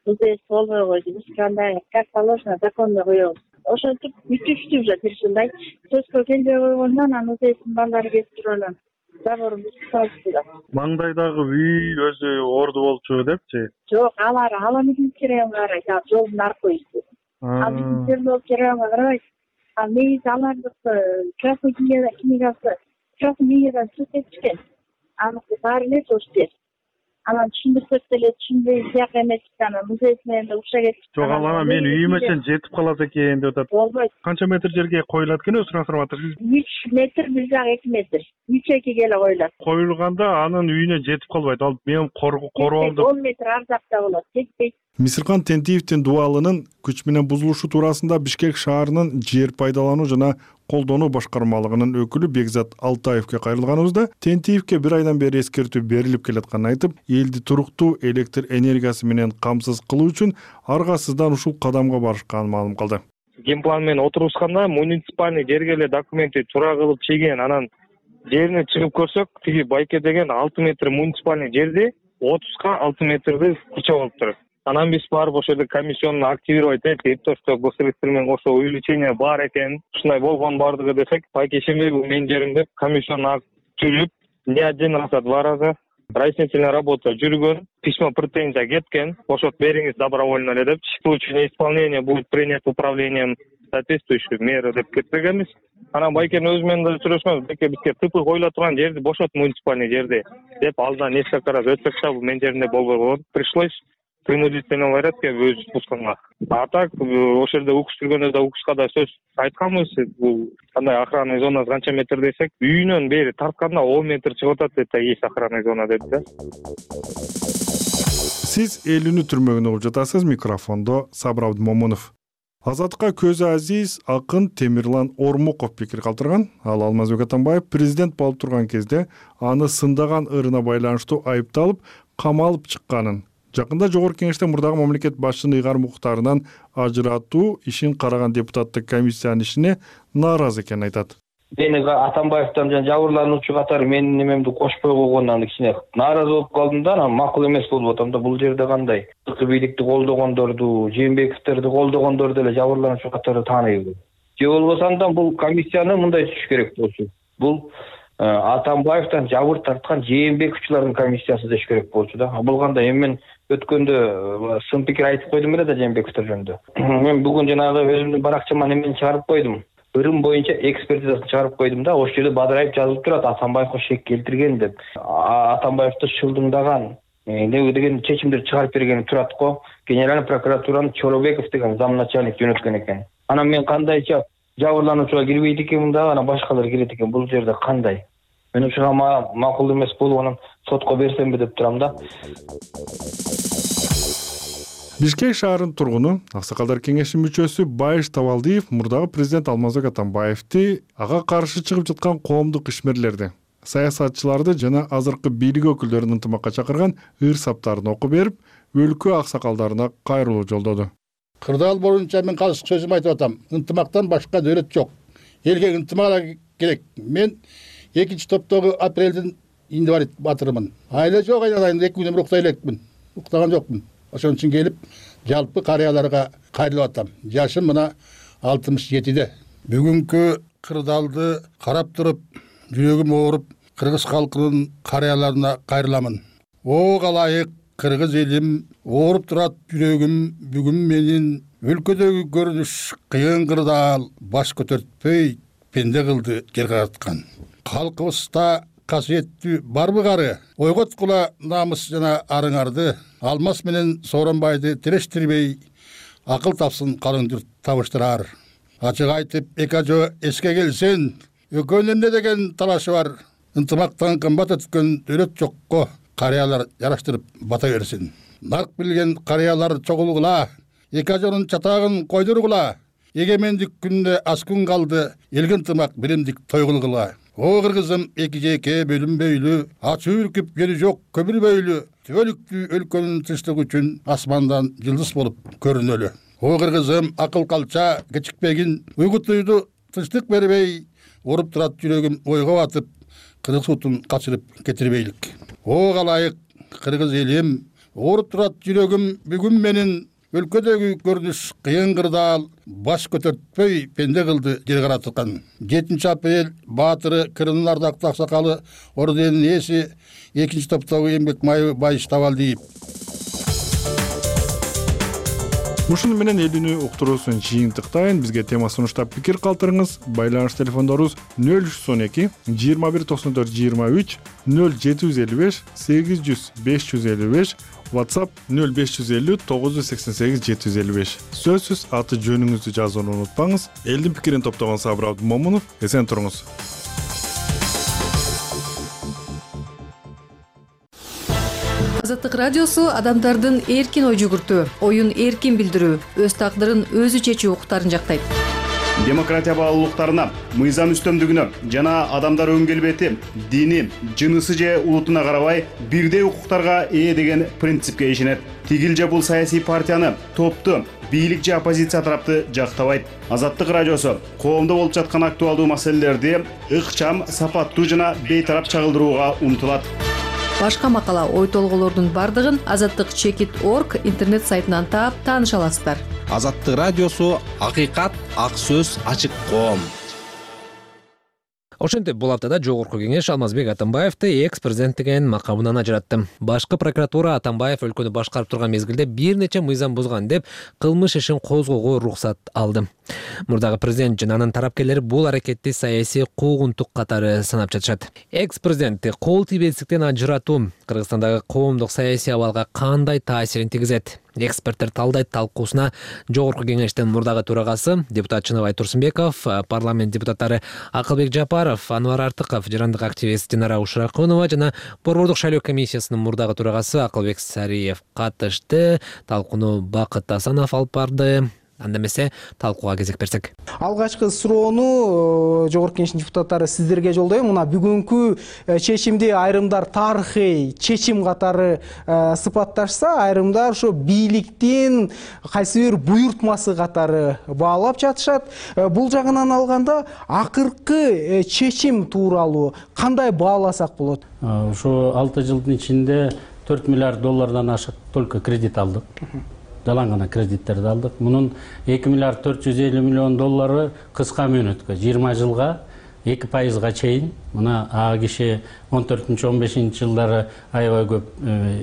УЗС болбой койду. Биз кандай как положено законно коебуз. Ошентип бүтүштү уже тиршилдай. Сөзгө келбей койгондон анан УЗСтин балдары келип туруп заборун бузуп салышты да. Маңдайдагы үй өзү орду болчу депчи? Жок, алар ала медицинский керегин карайт, ал жолдун аркы үйүсү. Ал медицинский керегин карабайт. Ал негизи алардыкы красный книгасы, красный книгадан чыгып кетишкен. Аныкы баары эле жош жер. Анан түшүндүрсөк деле түшүнбөй сыяк эмес, анан музей менен да укша кетти. Жок, ал анан мен үйүмө чейин жетип калат экен деп атат. Болбойт. Канча метр жерге коюлат экен өзү трансформатор? үч метр, бир жак эки метр. үч экиге эле коюлат. Коюлганда анын үйүнө жетип калбайт. Ал менин короомду он метр ар жакта болот, жетпейт. Мисиркан Тентиевдин дубалынын күч менен бузулушу туурасында Бишкек шаарынын жер пайдалануу жана колдонуу башкармалыгынын өкүлү Бекзат Алтаевке кайрылганыбызда Тентиевке бир айдан бери эскертүү берилип келатканын айтып, элди туруктуу электр энергиясы менен камсыз кылуу үчүн аргасыздан ушул кадамга барышканын маалым кылды. Генплан менен отурушканда муниципальный жерге эле документти туура кылып чейген, анан жерине чыгып көрсөк, тиги байке деген алты метр муниципальный жерди отузга алты метрди куча болуптур. Анан биз барып ошол жерде комиссионну активировать этип, то что госстроительство менен ошо увеличение бар экен, ушундай болгон бардыгы десек, байке Шембек менин жеримде комиссионну түзүп, не один раз, а два раза разъяснительная работа жүргөн, письмо претензия кеткен, ошот бериңиз добровольно эле деп, в случае неисполнения будет принят управлением соответствующие меры деп кетпегенбиз. Анан байкенин өзү менен да сүйлөшкөнбүз, байке бизге ТП коюла турган жерди бошот, муниципальный жерди деп, алдан несколько раз өтсөк да, бул менин жеримде болбой калат. Пришлось принудительный порядке өзү спусканга. А так ошол жерде укуш жүргөндө да укушка да сөз айтканбыз. Бул кандай охранный зона канча метр десек, үйүнөн бери тартканда он метр чыгып атат, это есть охранный зона деп да. Сиз эл үнү түрмөгүн угуп жатасыз. Микрофондо Сабыр Абдымомунов. Азаттыкка көзү азиз акын Темирлан Ормуков пикир калтырган. Ал Алмазбек Атамбаев президент болуп турган кезде аны сындаган ырына байланыштуу айыпталып, камалып чыкканын, Жакында жогорку кеңеште мурдагы мамлекет башчынын ыйгарым укуктарынан ажыратуу ишин караган депутаттык комиссиянын ишине нааразы экенин айтат. Мени Атамбаевден жана жабырлануучу катары менин немемди кошпой койгондон кичине нааразы болуп калдым да, анан макул эмес болуп атам да. Бул жерде кандай сырткы бийликти колдогондорду, Жээнбековдерди колдогондорду эле жабырлануучу катары тааныйбы? Же болбосо андан бул комиссияны мындай түзүш керек болчу. Бул Атамбаевден жабыр тарткан Жээнбековчулардын комиссиясы деш керек болчу да. Бул кандай? Эми мен өткөндө сын пикир айтып койдум эле да Жээнбековдер жөнүндө. Мен бүгүн жанагы өзүмдүн баракчама немени чыгарып койдум. Ырым боюнча экспертизасын чыгарып койдум да. Ошол жерде бадырайып жазылып турат Атамбаевга шек келтирген деп. Атамбаевди шылдыңдаган не деген чечимдер чыгарып берген турат го. Генеральный прокуратуранын Чоробеков деген зам начальник жөнөткөн экен. Анан мен кандайча жабырлануучуга кирбейт экенмин да, анан башкалар кирет экен. Бул жерде кандай? Мен ушуга макул эмес болуп анан сотко берсемби деп турам да. Бишкек шаарынын тургуну, Аксакалдар кеңешинин мүчөсү Байыш Табалдиев мурдагы президент Алмазбек Атамбаевди ага каршы чыгып жаткан коомдук ишмерлерди, саясатчыларды жана азыркы бийлик өкүлдөрүн ынтымакка чакырган ыр саптарын окуп берип, өлкө аксакалдарына кайрылуу жолдоду. Кырдаал боюнча мен калыс сөзүм айтып атам. Ынтымактан башка дөөлөт жок. Элге ынтымак керек. Мен экинчи топтогу апрелдин инвалид батырымын. Айла жок, айналайын эки күнүм руктай элекмин. Уктаган жокмун. Ошон үчүн келип, жалпы карыяларга кайрылып атам. Жашым мына алтымыш жетиде. Бүгүнкү кырдаалды карап туруп, жүрөгүм ооруп, кыргыз калкынын карыяларына кайрыламын. О калайык кыргыз элим, ооруп турат жүрөгүм, бүгүн менин өлкөдөгү көрүнүш кыйын кырдаал баш көтөртпөй пенде кылды жер караткан. Калкыбызда касиеттүү барбы кары, ойготкула намыс жана арыңарды, алмаз менен Сооронбайды терештирбей, акыл тапсын калыңдыр табыштырар. Ачык айтып, эки ажо эске келсен, экөөнүн эмне деген талашы бар. Ынтымактан кымбат өткөн дөөлөт жокко, карыялар жараштырып бата берсин. Нарк билген карыялар чогулгула, эки ажонун чатагын койдургула. Эгемендик күндө аз күн калды, элге ынтымак билимдик той кылгыла. О кыргызым эки жеке бөлүнбөйлү, ачуу үркүп жери жок көбүлбөйлү, түбөлүктүү өлкөнүн тынчтыгы үчүн асмандан жылдыз болуп көрүнөлү. О кыргызым акыл калча кечикпегин, уйгутуйду тынчтык бербей, оруп турат жүрөгүм ойго батып, кыргыз утун качырып кетирбейлик. О калайык кыргыз элим, оруп турат жүрөгүм бүгүн менин өлкөдөгү көрүнүш кыйын кырдаал баш көтөртпөй пенде кылды жер караткан. жетинчи апрель баатыры Кырымдын ардактуу аксакалы орденинин ээси экинчи топтогу эмгек майы Байыш Табалдиев. Ушуну менен элүүнү уктуруусун жыйынтыктайын. Бизге тема сунуштап пикир калтырыңыз. Байланыш телефондорубуз нөл үч жүз он эки жыйырма бир токсон төрт жыйырма үч, нөл жети жүз элүү беш сегиз жүз беш жүз элүү беш, WhatsApp нөл беш жүз элүү тогуз жүз сексен сегиз жети жүз элүү беш. Сөзсүз аты жөнүңүздү жазууну унутпаңыз. Элдин пикирин топтогон Сабыр Абдымомунов. Эсен туруңуз. Азаттык радиосу адамдардын эркин ой жүгүртүү, оюн эркин билдирүү, өз тагдырын өзү чечүү укуктарын жактайт. Демократия баалуулуктарына, мыйзам үстөмдүгүнө жана адамдар өң келбети, дини, жынысы же улутуна карабай бирдей укуктарга ээ деген принципке ишенет. Тигил же бул саясий партияны, топту, бийлик же оппозиция тарапты жактабайт. Азаттык радиосу коомдо болуп жаткан актуалдуу маселелерди ыкчам, сапаттуу жана бейтарап чагылдырууга умтулат. Башка макала, ой толголордун бардыгын азаттык чекит точка орг интернет сайтынан таап тааныша аласыздар. Азаттык радиосу акыйкат, ак сөз, ачык коом. Ошентип бул аптада жогорку кеңеш Алмазбек Атамбаевди экс-президенттигин макамынан ажыратты. Башкы прокуратура Атамбаев өлкөнү башкарып турган мезгилде бир нече мыйзам бузган деп кылмыш ишин козгоого уруксат алды. Мурдагы президент жана анын тарапкерлери бул аракетти саясий куугунтук катары санап жатышат. Экс-президентти кол тийбестиктен ажыратуу Кыргызстандагы коомдук саясий абалга кандай таасирин тийгизет? Эксперттер талдайт талкуусуна жогорку кеңештин мурдагы төрагасы депутат Чыныбай Турсунбеков, парламент депутаттары Акылбек Жапаров, Анвар Артыков, жарандык активист Динара Ушракунова жана Борбордук шайлоо комиссиясынын мурдагы төрагасы Акылбек Сариев катышты. Талкууну Бакыт Асанов алып барды. анда эмесе талкууга кезек берсек. Алгачкы суроону Жогорку Кеңештин депутаттары сиздерге жолдойм. Мына бүгүнкү чечимди айрымдар тарыхый чечим катары сыпатташса, айрымдар ошо бийликтин кайсы бир буйртмасы катары баалап жатышат. Бул жагынан алганда акыркы чечим тууралуу кандай бааласак болот? Ошо алты жылдын ичинде төрт миллиард доллардан ашык только кредит алдык. Жалаң гана кредиттерди алдык. Мунун эки миллиард төрт жүз элүү миллион доллары кыска мөөнөткө, жыйырма жылга эки пайызга чейин. Мына а киши он төртүнчү он бешинчи жылдары аябай көп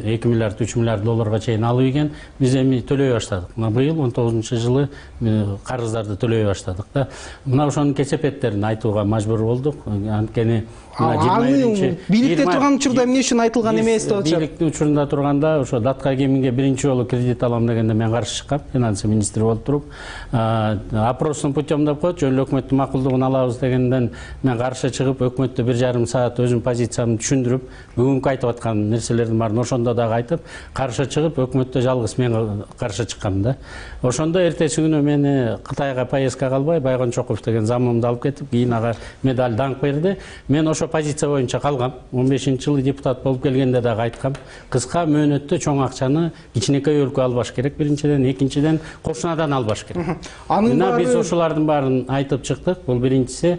эки миллиард үч миллиард долларга чейин алып ийген. Биз эми төлөй баштадык. Мына быйыл он тогузунчу жылы карыздарды төлөй баштадык да. Мына ошонун кесепеттерин айтууга мажбур болдук. Анткени аны бийликте турган учурда эмне үчүн айтылган эмес деп атышат? Бийликтин учурунда турганда ошо датка кеминге биринчи жолу кредит алам дегенде мен каршы чыккам, финансы министри болуп туруп. Опростун путем деп коет, жөн эле өкмөттүн макулдугун алабыз дегенден мен каршы чыгып, өкмөттө бир жарым саат өзүм позициямды түшүндүрүп, бүгүнкү айтып аткан нерселердин баарын ошондо дагы айтып, каршы чыгып, өкмөттө жалгыз мен каршы чыккам да. Ошондо эртеси күнү мени Кытайга поездкага албай, Байгончоков деген замымды алып кетип, кийин ага медаль даңк берди. Мен ошо позиция боюнча калгам. он бешинчи жылы депутат болуп келгенде дагы айткам. Кыска мөөнөттө чоң акчаны кичинекей өлкө албаш керек биринчиден, экинчиден кошунадан албаш керек. Мына биз ошолордун баарын айтып чыктык. Бул биринчиси.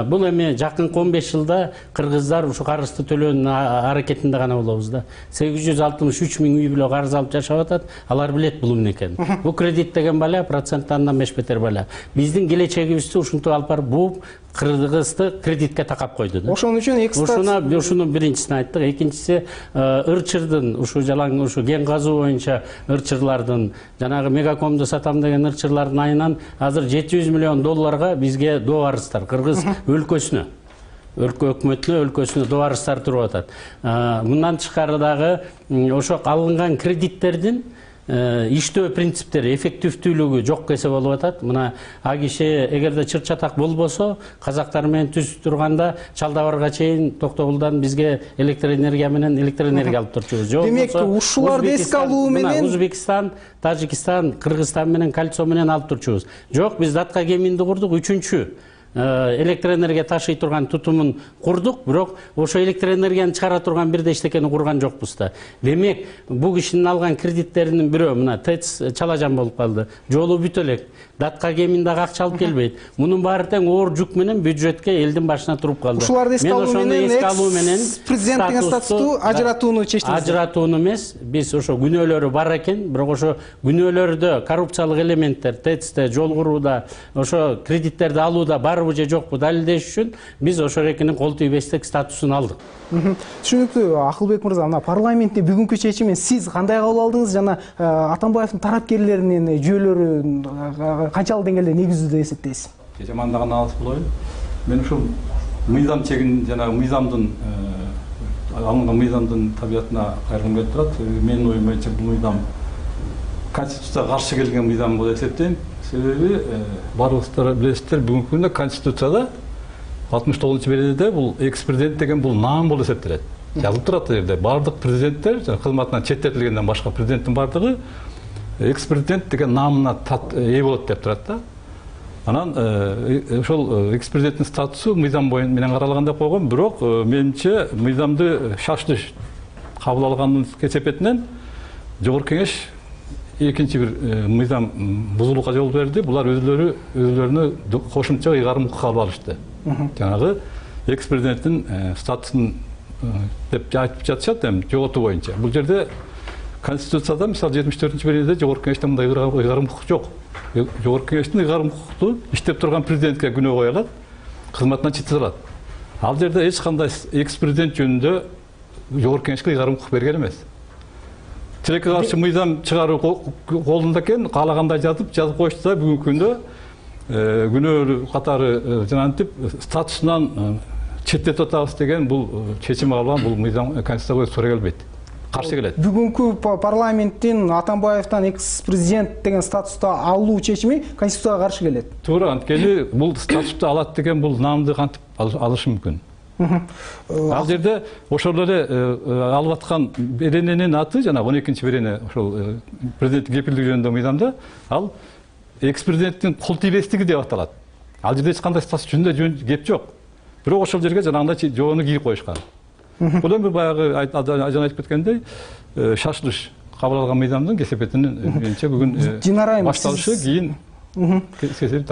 Бул эми жакынкы он беш жылда кыргыздар ушу карызды төлөөнүн аракетинде гана болобуз да. сегиз жүз алтымыш үч миң үй бүлө карыз алып жашап атат. Алар билет бул эмне экенин. Бул кредит деген бале, процент андан беш бетер бале. Биздин келечегибизди ушинтип алып барып бууп, кыргызды кредитке такап койду да. Ошон үчүн экстат ушунун биринчисин айттык. Экинчиси ырчырдын ушу жалаң ушу кен казуу боюнча ырчырлардын жанагы мегакомду сатам деген ырчырлардын айынан азыр жети жүз миллион долларга бизге доо арыздар кыргыз өлкөсүнө өлкө өкмөтүнө өлкөсүнө доо арыздар туруп атат. Мындан тышкары дагы ошо алынган кредиттердин иштөө принциптери, эффективдүүлүгү жок кесе болуп атат. Мына а киши эгерде чыр чатак болбосо, казактар менен түзүп турганда Чалдабарга чейин Токтогулдан бизге электр энергия менен электр энергия алып турчубуз. Демек, ушуларды эске алуу менен Узбекистан, Тажикстан, Кыргызстан менен кальцо менен алып турчубуз. Жок, биз датка кеминди курдук, үчүнчү электр энергия ташый турган тутумун курдук, бирок ошо электр энергияны чыгара турган бирде эчтекени курган жокпуз да. Демек, бул кишинин алган кредиттеринин бирөө мына ТЭЦ чалажан болуп калды. Жолу бүтө элек. Датка кемин дагы акча алып келбейт. Мунун баары тең оор жүк менен бюджетке элдин башына туруп калды. Ушуларды эске алуу менен президенттин статусту ажыратууну чечтиңиз. Ажыратууну эмес, биз ошо күнөөлөрү бар экен, бирок ошо күнөөлөрдө коррупциялык элементтер ТЭЦте, жол курууда, ошо кредиттерди алууда барбы же жокпу далилдеш үчүн биз ошо эрекинин кол тийбестик статусун алдык. Түшүнүктүү. Акылбек мырза, мына парламентте бүгүнкү чечимин сиз кандай кабыл алдыңыз жана Атамбаевдин тарапкерлеринин жүйөлөрү канчалык деңгээлде негиздүү деп эсептейсиз? Жамандаган алыс болобу? Мен ушул мыйзам чегин жана мыйзамдын алынган мыйзамдын табиятына кайрылгым келип турат. Менин оюм боюнча бул мыйзам конституцияга каршы келген мыйзам болуп эсептейм. Себеби баарыбыздар билесиздер, бүгүнкү күндө конституцияда алтымыш тогузунчу беренеде бул экс президент деген бул наам болуп эсептелет. Жазылып турат жерде баардык президенттер кызматынан четтетилгенден башка президенттин баардыгы экс президент деген наамына ээ болот деп турат да. Анан ошол экс президенттин статусу мыйзам боюнча менен каралган деп койгон, бирок менимче мыйзамды шаштыш кабыл алганын кесепетинен Жогорку Кеңеш экинчи бир мыйзам бузулукка жол берди. Булар өзлөрү өзлөрүнө кошумча ыйгарым укук алып алышты. Жанагы экс президенттин статусун деп айтып жатышат эми жоготуу боюнча. Бул жерде конституцияда мисалы жетимиш төртүнчү беренеде Жогорку Кеңештин мындай ыйгарым укук жок. Жогорку Кеңештин ыйгарым укукту иштеп турган президентке күнөө коюлат, кызматынан четтетилет. Ал жерде эч кандай экс президент жөнүндө Жогорку Кеңешке ыйгарым укук берген эмес. Тилекке каршы мыйзам чыгаруу колунда экен, каалагандай жазып жазып коюшту да бүгүнкү күндө күнөөлүү катары жанантип статусунан четтетип атабыз деген бул чечим алган, бул мыйзам конституцияга туура келбейт. Каршы келет. Бүгүнкү парламенттин Атамбаевден экс президент деген статусту алуу чечими конституцияга каршы келет. Туура, анткени бул статусту алат деген бул наамды кантип алышы мүмкүн. Ал жерде ошол эле алып аткан берененин аты жана он экинчи берене ошол президенттик кепилдиги жөнүндө мыйзамда ал экс президенттин кол тийбестиги деп аталат. Ал жерде эч кандай жөнүндө жөн кеп жок. Бирок ошол жерге жанагындай жоону кийип коюшкан. Бул эми баягы ажан айтып кеткендей шашылыш кабыл алган мыйзамдын кесепетинин менимче бүгүн башталышы кийин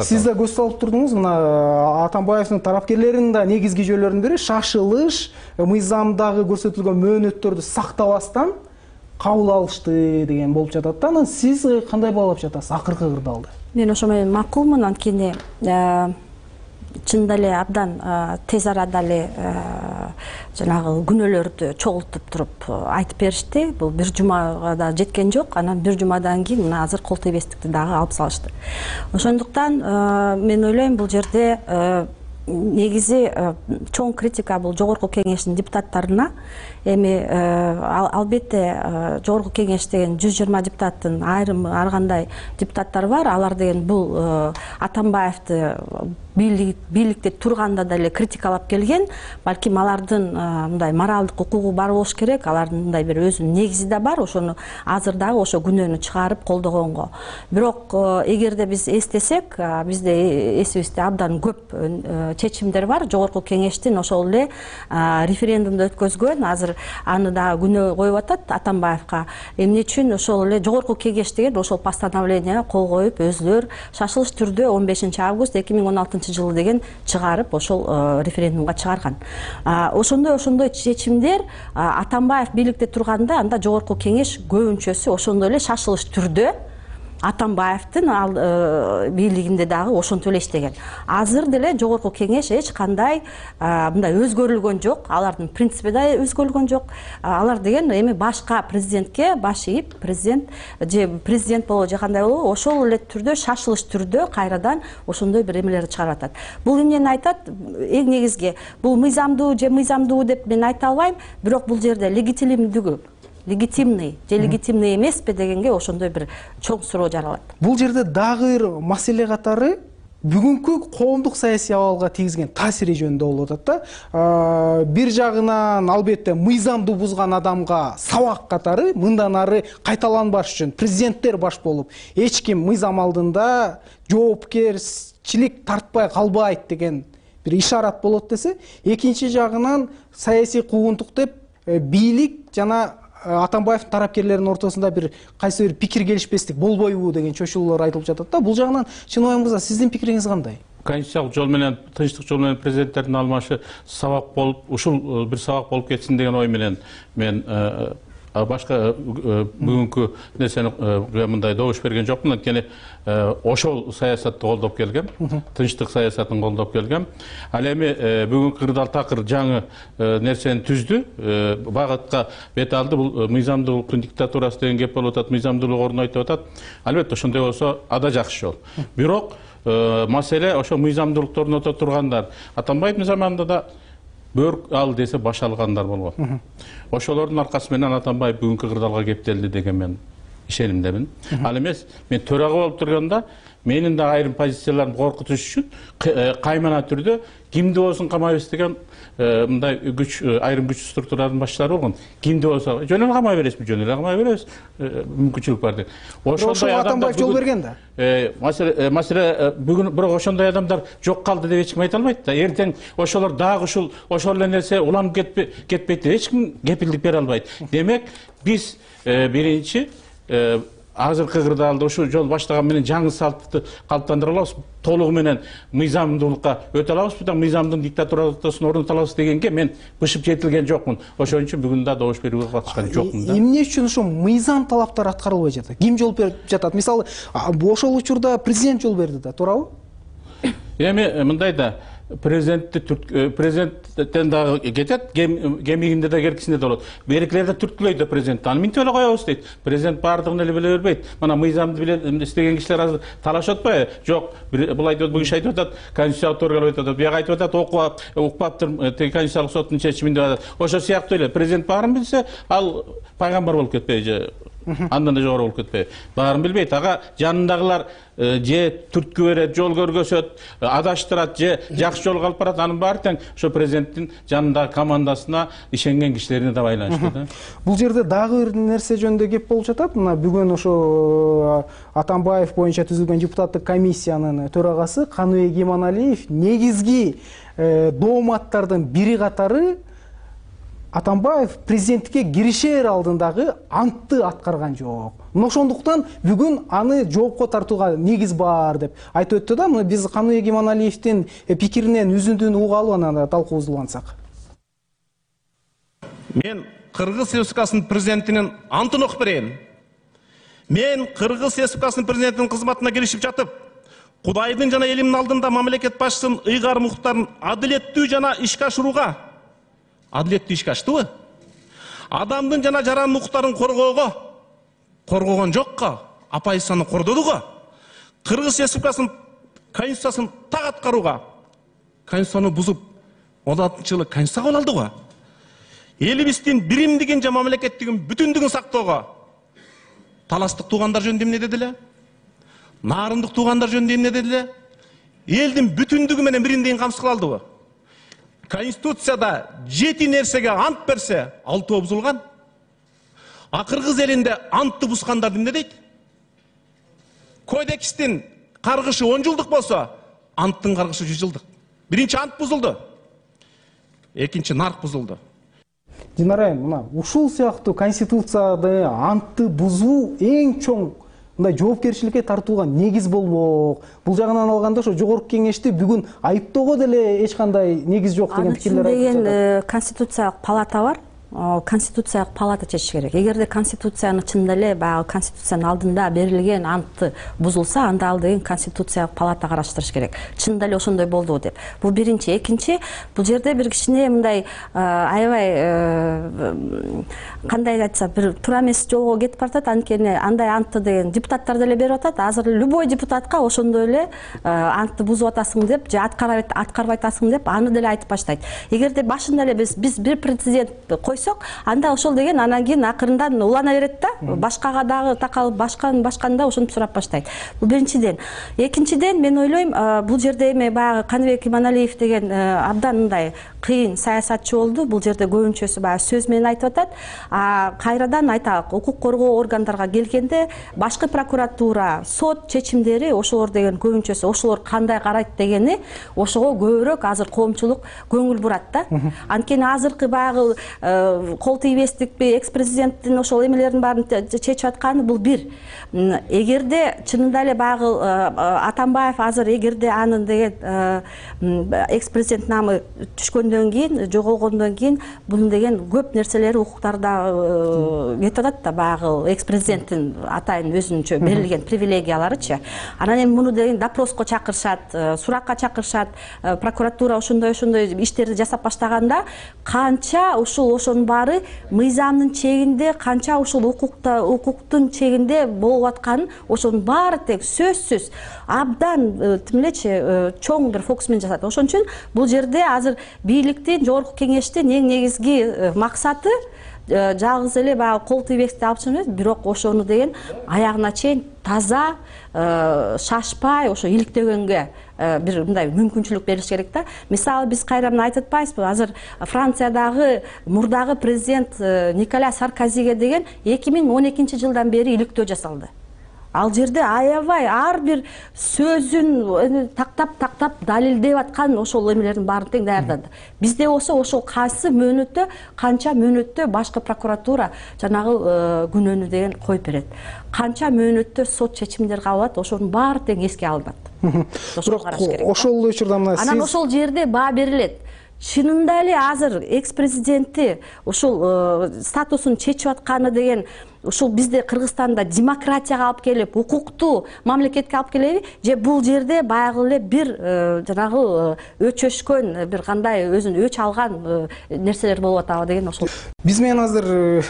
сиз да көз салып турдуңуз. Мына Атамбаевдин тарапкерлеринин да негизги жөнлөрүнүн бири шашылыш, мыйзамдагы көрсөтүлгөн мөөнөттөрдү сактабастан кабыл алышты деген болуп жатат да. Анан сиз кандай баалап жатасыз акыркы кырдаалды? Мен ошо менен макулмун, анткени чындап эле абдан тез арада эле жанагы күнөөлөрдү чогултуп туруп айтып беришти. Бул бир жумага да жеткен жок. Анан бир жумадан кийин мына азыр кол тийбестикти дагы алып салышты. Ошондуктан мен ойлойм бул жерде негизи чоң критика бул жогорку кеңештин депутаттарына. Эми албетте жогорку кеңеш деген жүз жыйырма депутаттын айрым ар кандай депутаттар бар. Алар деген бул Атамбаевди бийликте турганда деле критикалап келген. Балким алардын мындай моралдык укугу бар болуш керек. Алардын мындай бир өзүнүн негизи да бар. Ошону азыр дагы ошо күнөөнү чыгарып колдогонго. Бирок эгерде биз эстесек, бизде эсибизде абдан көп чечимдер бар. Жогорку кеңештин ошол эле референдумду өткөзгөн. Азыр аны дагы күнөө коюп атат Атамбаевга. Эмне үчүн ошол эле жогорку кеңеш деген ошол постановление кол коюп өзүлөр шашылыш түрдө он бешинчи август эки миң он алтынчы жылы деген чыгарып ошол референдумга чыгарган. Ошондой ошондой чечимдер Атамбаев бийликте турганда анда жогорку кеңеш көбүнчөсү ошондой эле шашылыш түрдө Атамбаевдин бийлигинде дагы ошентип эле иштеген. Азыр деле жогорку кеңеш эч кандай мындай өзгөрүлгөн жок. Алардын принципи да өзгөрүлгөн жок. Алар деген эми башка президентке баш ийип, президент же президент болобу же кандай болобу ошол эле түрдө шашылыш түрдө кайрадан ошондой бир эмелерди чыгарып атат. Бул эмнени айтат? Эң негизги бул мыйзамдуу же мыйзамдуу деп мен айта албайм, бирок бул жерде легитимдүүлүгү легитимный же легитимный эмеспи дегенге ошондой бир чоң суроо жаралат. Бул жерде дагы бир маселе катары бүгүнкү коомдук саясий абалга тийгизген таасири жөнүндө болуп атат да. Бир жагынан албетте мыйзамды бузган адамга сабак катары мындан ары кайталанбаш үчүн президенттер баш болуп эч ким мыйзам алдында жоопкерчилик тартпай калбайт деген бир ишарат болот десе, экинчи жагынан саясий куугунтук деп бийлик жана Атамбаевдин тарапкерлеринин ортосунда бир кайсы бир пикир келишпестик болбойбу деген чочулуулар айтылып жатат да. Бул жагынан Чынобай мырза, сиздин пикириңиз кандай? Конституциялык жол менен, тынчтык жол менен президенттердин алмашы сабак болуп, ушул бир сабак болуп кетсин деген ой менен мен башка бүгүнкү нерсени мындай добуш берген жокмун. Анткени ошол саясатты колдоп келгем, тынчтык саясатын колдоп келгем. Ал эми бүгүнкү кырдаал такыр жаңы нерсени түздү, багытка бет алды. Бул мыйзамдуулуктун диктатурасы деген кеп болуп атат, мыйзамдуулук орнотуп атат. Албетте ошондой болсо ада жакшы жол. Бирок маселе ошо мыйзамдуулукту орното тургандар Атамбаевдин заманында да бөрк ал десе баш алгандар болгон. Ошолордун аркасы менен Атамбаев бүгүнкү кырдаалга кептелди деген мен ишенимдемин. Ал эмес, мен төрага болуп турганда менин да айрым позицияларым коркутуш үчүн каймана түрдө кимди болсун камайбыз деген мындай күч айрым күч структуралардын башчылары болгон. Кимди болсо жөн эле камай бересизби, жөн эле камай беребиз, мүмкүнчүлүк бар деп. Ошондой Атамбаев жол берген да. Маселе маселе бүгүн бирок ошондой адамдар жок калды деп эч ким айта албайт да. Эртең ошолор дагы ушул ошол эле нерсе уланып кетпейт деп эч ким кепилдик бере албайт. Демек биз биринчи азыркы кырдаалда ушул жол баштаган менен жаңы салтты калыптандыра алабыз, толугу менен мыйзамдуулукка өтө алабызбы да, мыйзамдын диктатурасын орното алабыз дегенге мен бышып жетилген жокмун. Ошон үчүн бүгүн да добуш берүүгө катышкан жокмун да. Эмне үчүн ошо мыйзам талаптары аткарылбай жатат? Ким жол берип жатат? Мисалы, ошол учурда президент жол берди да, туурабы? Эми мындай да, президентти президенттен дагы кетет, кемигинде да керкисинде да болот. Беркилер да түрткүлөйт да президентти. Аны минтип эле коебуз дейт. Президент баардыгын эле биле бербейт. Мына мыйзамды биле истеген кишилер азыр талашып атпайбы? Жок, бул айтып атат, бүгүн айтып атат, конституциялык орган айтып атат, бияга айтып атат, окуп укпаптыр, теги конституциялык соттун чечимин деп атат. Ошол сыяктуу эле президент баарын билсе, ал пайгамбар болуп кетпейби же Андан да жогору болуп кетпейби? Баарын билбейт. Ага жанындагылар же түрткү берет, жол көргөзөт, адаштырат, же жакшы жолго алып барат. Анын баары тең ошо президенттин жанындагы командасына ишенген кишилерине да байланыштуу да. Бул жерде дагы бир нерсе жөнүндө кеп болуп жатат. Мына бүгүн ошо Атамбаев боюнча түзүлгөн депутаттык комиссиянын төрагасы Каныбек Иманалиев негизги дооматтардын бири катары Атамбаев президенттикке киришер алдындагы антты аткарган жок. Мына ошондуктан бүгүн аны жоопко тартууга негиз бар деп айтып өттү да. Мына биз Каныбек Иманалиевдин пикиринен үзүндүн угуп алып анан талкуубузду улантсак. Мен Кыргыз Республикасынын президентинин антын окуп берейин. Мен Кыргыз Республикасынын президентинин кызматына киришип жатып, Кудайдын жана элимдин алдында мамлекет башчысынын ыйгар муктарын адилеттүү жана ишке ашырууга, адилеттүү ишке аштыбы? Адамдын жана жарандын укуктарын коргоого, коргогон жокко, оппозицияны кордодуго, Кыргыз Республикасынын конституциясын так аткарууга, конституцияны бузуп, он алтынчы жылы конституция кабыл алдыго, элибиздин биримдигин жана мамлекеттигин бүтүндүгүн сактоого, таластык туугандар жөнүндө эмне дедиле? Нарындык туугандар жөнүндө эмне дедиле? Элдин бүтүндүгү менен бириндигин камсыз кыла алдыбы? Конституцияда жети нерсеге ант берсе, алтоо бузулган. А Кыргыз элинде антты бузгандарды эмне дейт? Кодекстин каргышы он жылдык болсо, анттын каргышы жүз жылдык. Биринчи ант бузулду. Экинчи нарк бузулду. Динара айым, мына ушул сыяктуу конституцияда антты бузуу эң чоң мындай жоопкерчиликке тартууга негиз болмок. Бул жагынан алганда ошо жогорку кеңешти бүгүн айыптоого деле эч кандай негиз жок деген пикирлер айтып жатат. Деген конституциялык палата бар. Конституциялык палата чечиш керек. Эгерде конституцияны чында эле баягы конституциянын алдында берилген антты бузулса, анда ал деген конституциялык палата караштырыш керек. Чында эле ошондой болдубу деп. Бул биринчи. Экинчи, бул жерде бир кичине мындай аябай кандай айтса, бир туура эмес жолго кетип баратат. Анткени андай антты деген депутаттар деле берип атат. Азыр любой депутатка ошондой эле антты бузуп атасың деп, же аткарбай атасың деп аны деле айтып баштайт. Эгерде башында эле биз биз бир президент койсок, анда ошол деген анан кийин акырындан улана берет да, башкага дагы такалып башкан башканда ошентип сурап баштайт. Бул биринчиден. Экинчиден, мен ойлойм, бул жерде эми баягы Каныбек Иманалиев деген абдан мындай кыйын саясатчы болду. Бул жерде көбүнчөсү баягы сөз менен айтып атат. А кайрадан айталык, укук коргоо органдарга келгенде башкы прокуратура, сот чечимдери ошолор деген көбүнчөсү ошолор кандай карайт дегени ошого көбүрөөк азыр коомчулук көңүл бурат да. Анткени азыркы баягы кол тийбестикпи, экс-президенттин ошол эмелерин баарын чечип атканы бул бир. Эгерде чынында эле баягы Атамбаев азыр эгерде анын деген экс-президент намы түшкөндөн кийин, жоголгондон кийин бул деген көп нерселери, укуктары да кетип атат да, баягы экс-президенттин атайын өзүнчө берилген привилегияларычы. Анан эми муну деген допроско чакырышат, суракка чакырышат, прокуратура ошондой-ошондой иштерди жасап баштаганда канча ушул ошонун баары мыйзамдын чегинде, канча ушул укукта, укуктун чегинде болуп атканын ошонун баары тең сөзсүз абдан тим элечи чоң бир фокус менен жасат. Ошон үчүн бул жерде азыр бийликтин, жогорку кеңештин эң негизги максаты жалгыз эле баягы кол тийбестикти алып чыгуу эмес, бирок ошону деген аягына чейин таза, шашпай, ошо иликтөгөнгө бир мындай мүмкүнчүлүк берилиш керек да. Мисалы биз кайра мына айтып атпайбызбы, азыр Франциядагы мурдагы президент Николя Саркозиге деген эки миң он экинчи жылдан бери иликтөө жасалды. Ал жерде аябай ар бир сөзүн тактап-тактап далилдеп аткан ошол эмелердин баарын тең даярдады. Бизде болсо ошол кайсы мөөнөттө, канча мөөнөттө башкы прокуратура жанагы күнөөнү деген коюп берет. Канча мөөнөттө сот чечимдер кабыл алат, ошонун баары тең эске алынат. Ошол учурда мына анан ошол жерде баа берилет. Чынында эле азыр экс-президенти ушул статусун чечип атканы деген ушул бизде Кыргызстанда демократияга алып келип, укуктуу мамлекетке алып келеби, же бул жерде баягы эле бир жанагы өчөшкөн, бир кандай өзүн өч алган нерселер болуп атабы деген ошол. Биз менен азыр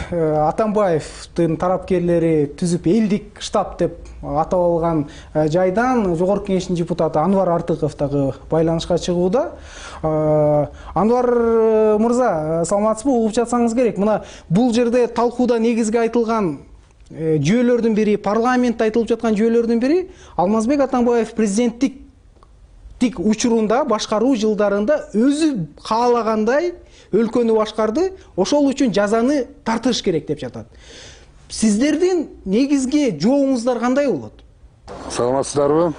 Атамбаевдин тарапкерлери түзүп элдик штаб деп атап алган жайдан жогорку кеңештин депутаты Анвар Артыков дагы байланышка чыгууда. Анвар мырза, саламатсызбы? Угуп жатсаңыз керек. Мына бул жерде талкууда негизги айтылган жүйөлөрдүн бири, парламентте айтылып жаткан жүйөлөрдүн бири Алмазбек Атамбаев президенттик тик учурунда башкаруу жылдарында өзү каалагандай өлкөнү башкарды, ошол үчүн жазаны тартыш керек деп жатат. Сиздердин негизги жообуңуздар кандай болот? Саламатсыздарбы?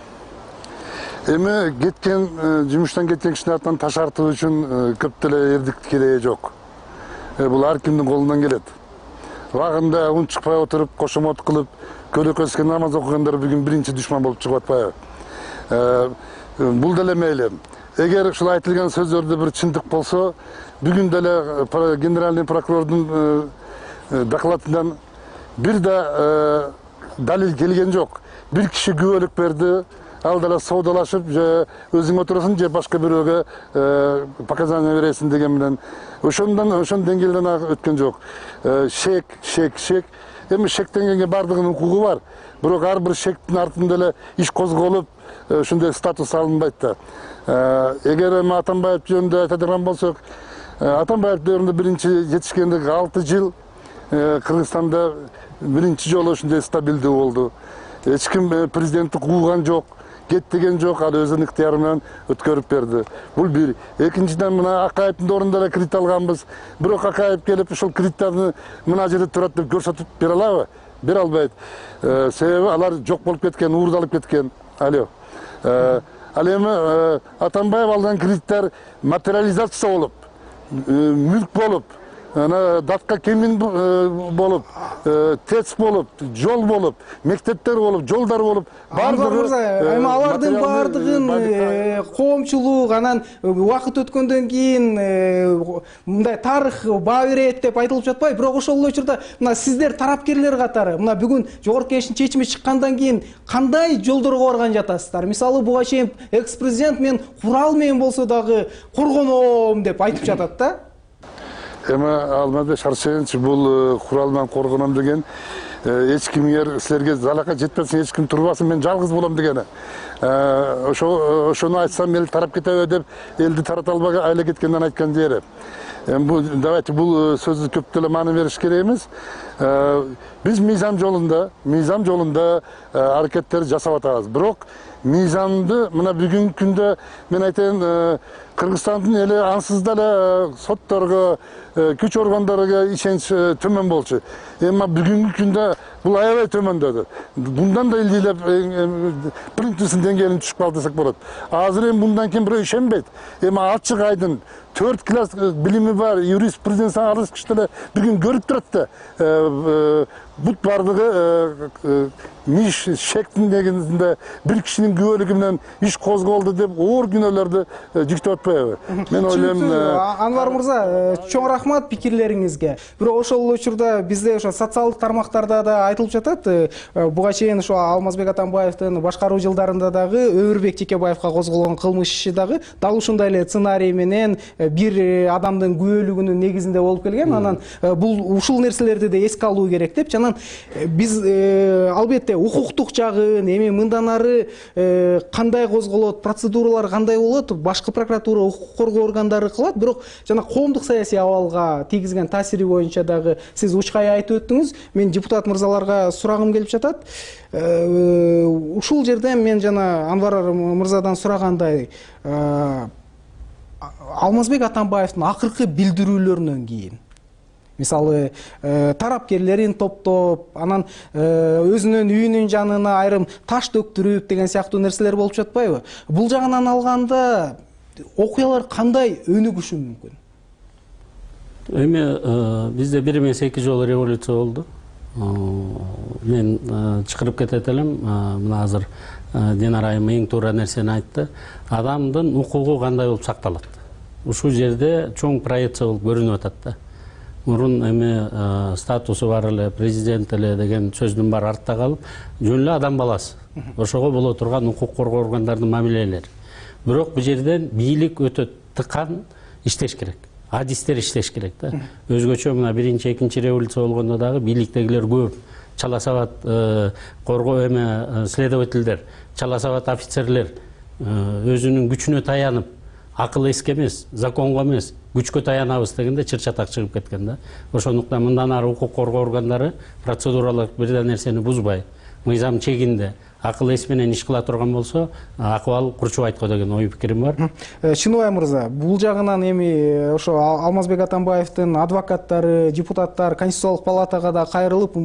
Эми кеткен жумуштан кеткен кишинин артынан таш артуу үчүн көп деле эрдик кереги жок. Бул ар кимдин колунан келет. Убагында ун чыкпай отуруп, кошомот кылып, көлөкө өскөн намаз окугандар бүгүн биринчи душман болуп чыгып атпайбы? Бул деле мейли. Эгер ушул айтылган сөздөрдө бир чындык болсо, бүгүн деле генеральный прокурордун докладынан бир да далил келген жок. Бир киши күбөлүк берди, ал деле соодалашып, же өзүң отурасың, же башка бирөөгө показания бересиң деген менен ошондон ошон деңгээлден өткөн жок. Шек, шек, шек. Эми шектенгенге бардыгынын укугу бар. Бирок ар бир шектин артында эле иш козголуп, ушундай статус алынбайт да. Эгер эми Атамбаев жөнүндө айтадыган болсок, Атамбаев дövrүндө биринчи жетишкендик алты жыл Кыргызстанда биринчи жолу ушундай стабилдүү болду. Эч ким президенттик кууган жок, кет деген жок, ал өзүнүн ыктыяры менен өткөрүп берди. Бул бир. Экинчиден мына Акаевдин ордунда эле кредит алганбыз. Бирок Акаев келип ушул кредиттерди мына жерде турат деп көрсөтүп бере алабы? Бере албайт. Себеби алар жок болуп кеткен, уурдалып кеткен. Алло. Ал эми Атамбаев алган кредиттер материализация болуп, мүлк болуп, ана датка кемин болуп, ТЭЦ болуп, жол болуп, мектептер болуп, жолдар болуп, бардыгы эми алардын бардыгын коомчулук анан убакыт өткөндөн кийин мындай тарых баа берет деп айтылып жатпайбы? Бирок ошол эле учурда мына сиздер тарапкерлер катары мына бүгүн жогорку кеңештин чечими чыккандан кийин кандай жолдорго барган жатасыздар? Мисалы буга чейин экс президент мен курал менен болсо дагы коргоном деп айтып жатат да. Эми Алмазбек Шаршенович бул курал менен коргоном деген эч кимге силерге залакка жетпесин, эч ким турбасын, мен жалгыз болом дегени. Ошо ошону айтсам эл тарап кетеби деп элди тарата албай айла кеткенден айткан жери. Эми бул давайте бул сөздү көп деле маани бериш керек эмес. Биз мыйзам жолунда, мыйзам жолунда аракеттер жасап атабыз. Бирок мыйзамды мына бүгүнкү күндө мен айтайын, Кыргызстандын эли ансыз деле сотторго, күч органдарына ишенич төмөн болчу. Эми бүгүнкү күндө бул аябай төмөндөдү. Bundan да илдилеп принципсин деңгээлине түшүп калды десек болот. Азыр эми мындан кийин бирөө ишенбейт. Эми ачык айдын төрт класс билими бар, юриспруденция арыз киши деле бүгүн көрүп турат да. Бут бардыгы миш шектин негизинде бир кишинин күбөлүгү менен иш козголду деп оор күнөөлөрдү жүктөп атпайбы? Мен ойлойм. Анвар мырза, чоң рахмат пикирлериңизге. Бирок ошол учурда бизде ошо социалдык тармактарда да айтылып жатат. Буга чейин ошо Алмазбек Атамбаевдин башкаруу жылдарында дагы Өмүрбек Жекебаевга козголгон кылмыш иши дагы дал ушундай эле сценарий менен бир адамдын күбөлүгүнүн негизинде болуп келген. Анан бул ушул нерселерди да эске алуу керек деп, жана биз албетте укуктук жагын, эми мындан ары кандай козголот, процедуралар кандай болот, башкы прокуратура, укук коргоо органдары кылат. Бирок жана коомдук саясий абалга тийгизген таасири боюнча дагы сиз учкай айтып өттүңүз. Мен депутат мырзаларга сурагым келип жатат. Ушул жерде мен жана Анвар мырзадан сурагандай, Алмазбек Атамбаевдин акыркы билдирүүлөрүнөн кийин мисалы тарапкерлерин топтоп, анан өзүнүн үйүнүн жанына айрым таш төктүрүп деген сыяктуу нерселер болуп жатпайбы? Бул жагынан алганда окуялар кандай өнүгүшү мүмкүн? Эми бизде бир эмес эки жолу революция болду. Мен чакырып кетет элем, мына азыр Динара айым эң туура нерсени айтты. Адамдын укугу кандай болуп сакталат? Ушул жерде чоң проекция болуп көрүнүп атат да. Мурун эми статусу бар эле, президент эле деген сөздүн баары артта калып, жөн эле адам баласы. Ошого боло турган укук коргоо органдарынын мамилелери. Бирок бул жерден бийлик өтө тыкан иштеш керек. Адистер иштеш керек да. Өзгөчө мына биринчи, экинчи революция болгондо дагы бийликтегилер көп. Чала сабат коргоо эме следовательдер, чала сабат офицерлер өзүнүн күчүнө таянып, акыл эске эмес, законго эмес, күчкө таянабыз дегенде чыр чатак чыгып кеткен да. Ошондуктан мындан ары укук коргоо органдары процедуралык бир да нерсени бузбай, мыйзам чегинде акыл эс менен иш кыла турган болсо, акыбал курчубайт го деген ой пикирим бар. Чыныбай мырза, бул жагынан эми ошо Алмазбек Атамбаевдин адвокаттары, депутаттар Конституциялык палатага да кайрылып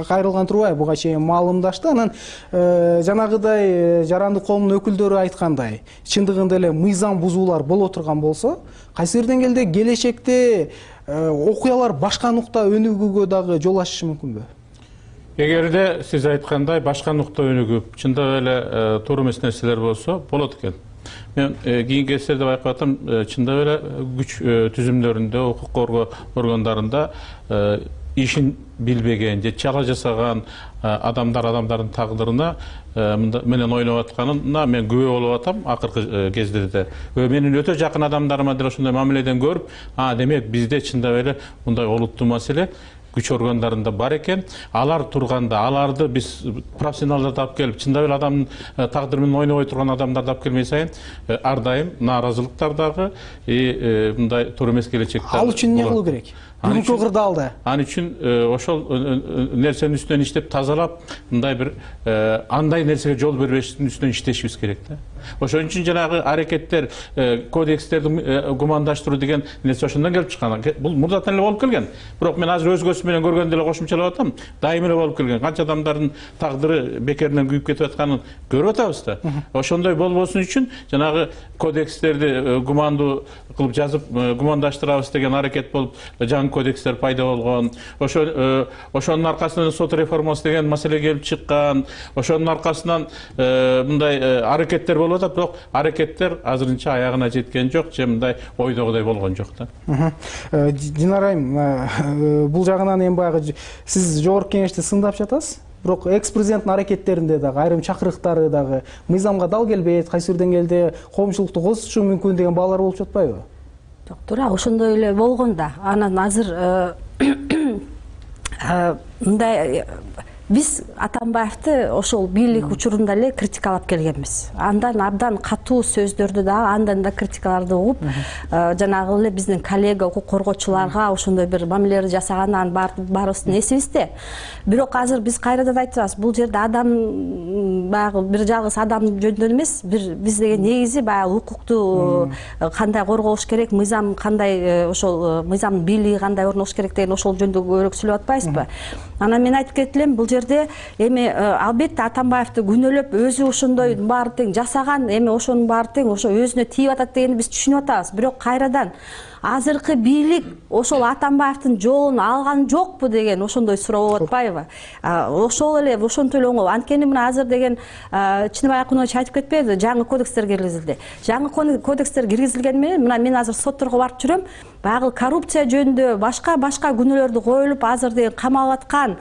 кайрылган турбайбы буга чейин маалымдашты. Анан жанагыдай жаранды коомдун өкүлдөрү айткандай, чындыгында эле мыйзам бузуулар боло турган болсо, кайсы бир деңгээлде келечекте окуялар башка нукта өнүгүүгө дагы жол ачышы мүмкүнбү? Эгерде сиз айткандай башка нукта өнүгүп, чындап эле туура эмес нерселер болсо, болот экен. Мен кийинки эсерде байкап атам, чындап эле күч түзүмдөрүндө, укук коргоо органдарында ишин билбеген же чала жасаган адамдар адамдардын тагдырына менен ойлоп атканына мен күбө болуп атам акыркы кездерде. Менин өтө жакын адамдарыма деле ошондой мамиледен көрүп, а демек бизде чындап эле мындай олуттуу маселе күч органдарында бар экен. Алар турганда, аларды биз профессионалдарды алып келип, чындап эле адамдын тагдыры менен ойнобой турган адамдарды алып келмей сайын ар дайым нааразылыктар дагы мындай туура эмес келечекте. Ал үчүн эмне кылуу керек? Бүгүнкү кырдаалда. Ал үчүн ошол нерсенин үстүнөн иштеп тазалап, мындай бир андай нерсеге жол бербештин үстүнөн иштешибиз керек да. Ошон үчүн жанагы аракеттер, кодекстерди гумандаштыруу деген нерсе ошондон келип чыккан. Бул мурдатан эле болуп келген. Бирок мен азыр өз көзүм менен көргөндө эле кошумчалап атам. Дайым эле болуп келген. Канча адамдардын тагдыры бекеринен күйүп кетип атканын көрүп атабыз да. Ошондой болбосун үчүн жанагы кодекстерди гумандуу кылып жазып гумандаштырабыз деген аракет болуп жаңы кодекстер пайда болгон. Ошо ошонун аркасынан сот реформасы деген маселе келип чыккан. Ошонун аркасынан мындай аракеттер болуп атат, бирок аракеттер азырынча аягына жеткен жок, же мындай ойдогудай болгон жок да. Динара айым, бул жагынан эми баягы сиз жогорку кеңешти сындап жатасыз. Бирок экс-президенттин аракеттеринде дагы айрым чакырыктары дагы мыйзамга дал келбейт, кайсы бир деңгээлде коомчулукту козутушу мүмкүн деген баалар болуп жатпайбы? Жок, туура ошондой эле болгон да. Анан азыр мындай биз Атамбаевди ошол бийлик учурунда эле критикалап келгенбиз. Андан абдан катуу сөздөрдү дагы, андан да критикаларды угуп, жанагы эле биздин коллега укук коргоочуларга ошондой бир мамилелер жасаганын баарыбыздын эсибизде. Бирок азыр биз кайрадан айтабыз, бул жерде адам баягы бир жалгыз адам жөнүндө эмес, бир биз деген негизи баягы укукту кандай коргош керек, мыйзам кандай, ошол мыйзамдын бийлиги кандай орнош керек деген ошол жөнүндө көбүрөөк сүйлөп атпайбызбы? Анан мен айтып кетелем, бул жерде эми албетте Атамбаевди күнөөлөп, өзү ошондой баары тең жасаган, эми ошонун баары тең ошо өзүнө тийип атат дегенди биз түшүнүп атабыз. Бирок кайрадан азыркы бийлик ошол Атамбаевдин жолун алган жокпу деген ошондой суроо болуп атпайбы? Ошол эле ошентип эле оңой. Анткени мына азыр деген Чыныбай Акунович айтып кетпеди, жаңы кодекстер киргизилди. Жаңы кодекстер киргизилгени менен мына мен азыр сотторго барып жүрөм, баягы коррупция жөнүндө башка-башка күнөөлөрдү коюлуп, азыр деген камалып аткан,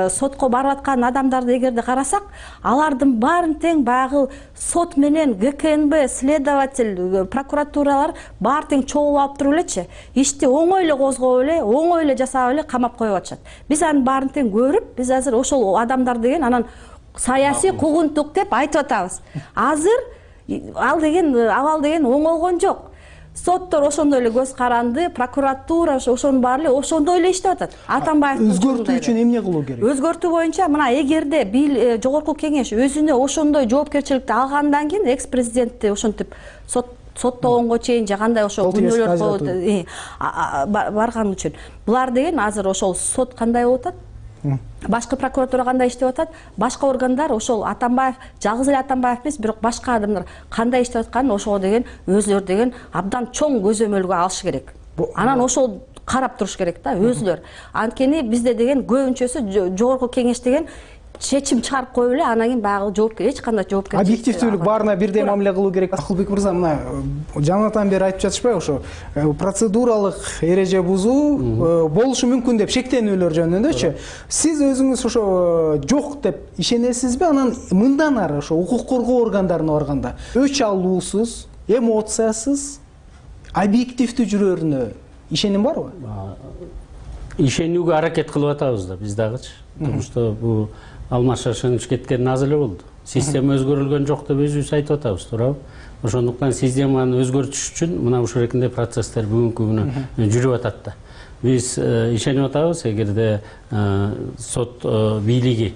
сотко барып аткан адамдарды эгерде карасак, алардын баарын тең баягы сот менен гэ ка эн бэ, следователь, прокуратуралар баары тең чогулуп алып туруп элечи, ишти оңой эле козгоп эле, оңой эле жасап эле камап коюп атышат. Биз анын баарын тең көрүп, биз азыр ошол адамдар деген анан саясий куугунтук деп айтып атабыз. Азыр ал деген абал деген оңолгон жок. Соттор ошондой эле көз каранды, прокуратура ошонун баары эле ошондой эле иштеп атат. Атамбаев өзгөртүү үчүн эмне кылуу керек? Өзгөртүү боюнча мына эгерде жогорку кеңеш өзүнө ошондой жоопкерчиликти алгандан кийин экс-президентти ошентип сот соттогонго чейин же кандай ошо күнөөлөр барган үчүн. Булар деген азыр ошол сот кандай болуп атат? Башкы прокуратура кандай иштеп атат? Башка органдар ошол Атамбаев, жалгыз эле Атамбаев эмес, бирок башка адамдар кандай иштеп атканын ошого деген өзүлөр деген абдан чоң көзөмөлгө алыш керек. Анан ошол карап туруш керек да өзүлөр. Анткени бизде деген көбүнчөсү жогорку кеңеш деген чечим чыгарып коюп эле, анан кийин баягы жоопкер эч кандай жоопкерчилик. Объективдүүлүк баарына бирдей мамиле кылуу керек. Акылбек мырза, мына жаңадан бери айтып жатышпайбы, ошо процедуралык эреже бузуу болушу мүмкүн деп шектенүүлөр жөнүндөчү. Сиз өзүңүз ошо жок деп ишенесизби? Анан мындан ары ошо укук коргоо органдарына барганда өч алуусуз, эмоциясыз, объективдүү жүрөрүнө ишеним барбы? Ишенүүгө аракет кылып атабыз да биз дагычы. Потому что бул Алмаз Шаршенович кеткен аз эле болду. Система өзгөрүлгөн жок деп өзүбүз айтып атабыз, туурабы? ошондуктан системаны өзгөртүш үчүн мына ушул эркиндей процесстер бүгүнкү күнү жүрүп атат да. Биз ишенип атабыз, эгерде сот бийлиги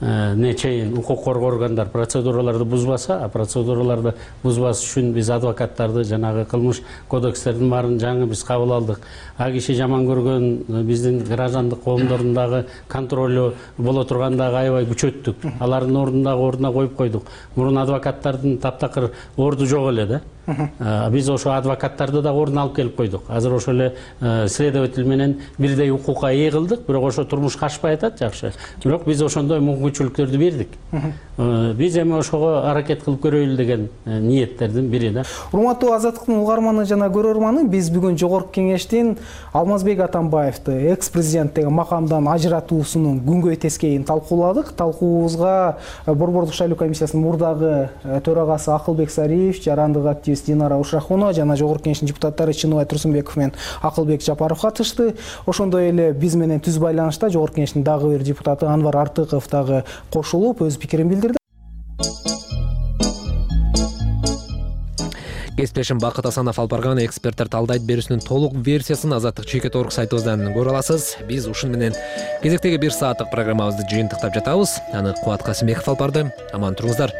не чейин укук коргоо органдар процедураларды бузбаса, а процедураларды бузбас үчүн биз адвокаттарды жанагы кылмыш кодекстердин баарын жаңы биз кабыл алдык. А киши жаман көргөн биздин граждандык коомдордун дагы контролу боло тургандагы аябай күчөттүк. Алардын ордун дагы ордуна коюп койдук. Мурун адвокаттардын таптакыр орду жок эле да. Биз ошо адвокаттарды да ордуна алып келип койдук. Азыр ошо эле следователь менен бирдей укукка ээ кылдык, бирок ошо турмушка ашпай атат, жакшы. Бирок биз ошондой мүмкүнчүлүктөрдү бердик. Биз эми ошого аракет кылып көрөйлү деген ниеттердин бири да. Урматтуу Азаттыктын угарманы жана көрөрманы, биз бүгүн Жогорку Кеңештин Алмазбек Атамбаевди экс-президент деген макамдан ажыратуусунун күнгөй тескейин талкууладык. Талкуубузга Борбордук шайлоо комиссиясынын мурдагы төрагасы Акылбек Сариев, жарандык активист Динара Ушрахунова жана Жогорку Кеңештин депутаттары Чыныбай Турсунбеков менен Акылбек Жапаров катышты. Ошондой эле биз менен түз байланышта Жогорку Кеңештин дагы бир депутаты Анвар Артыков дагы кошулуп өз пикирин билдирди. Кесиптешим Бакыт Асанов алып барган эксперттер талдайт берүүсүнүн толук версиясын Азаттык чекит орг сайтыбыздан көрө аласыз. Биз ушун менен кезектеги бир сааттык программабызды жыйынтыктап жатабыз. Аны Кубат Касымбеков алып барды. Аман туруңуздар.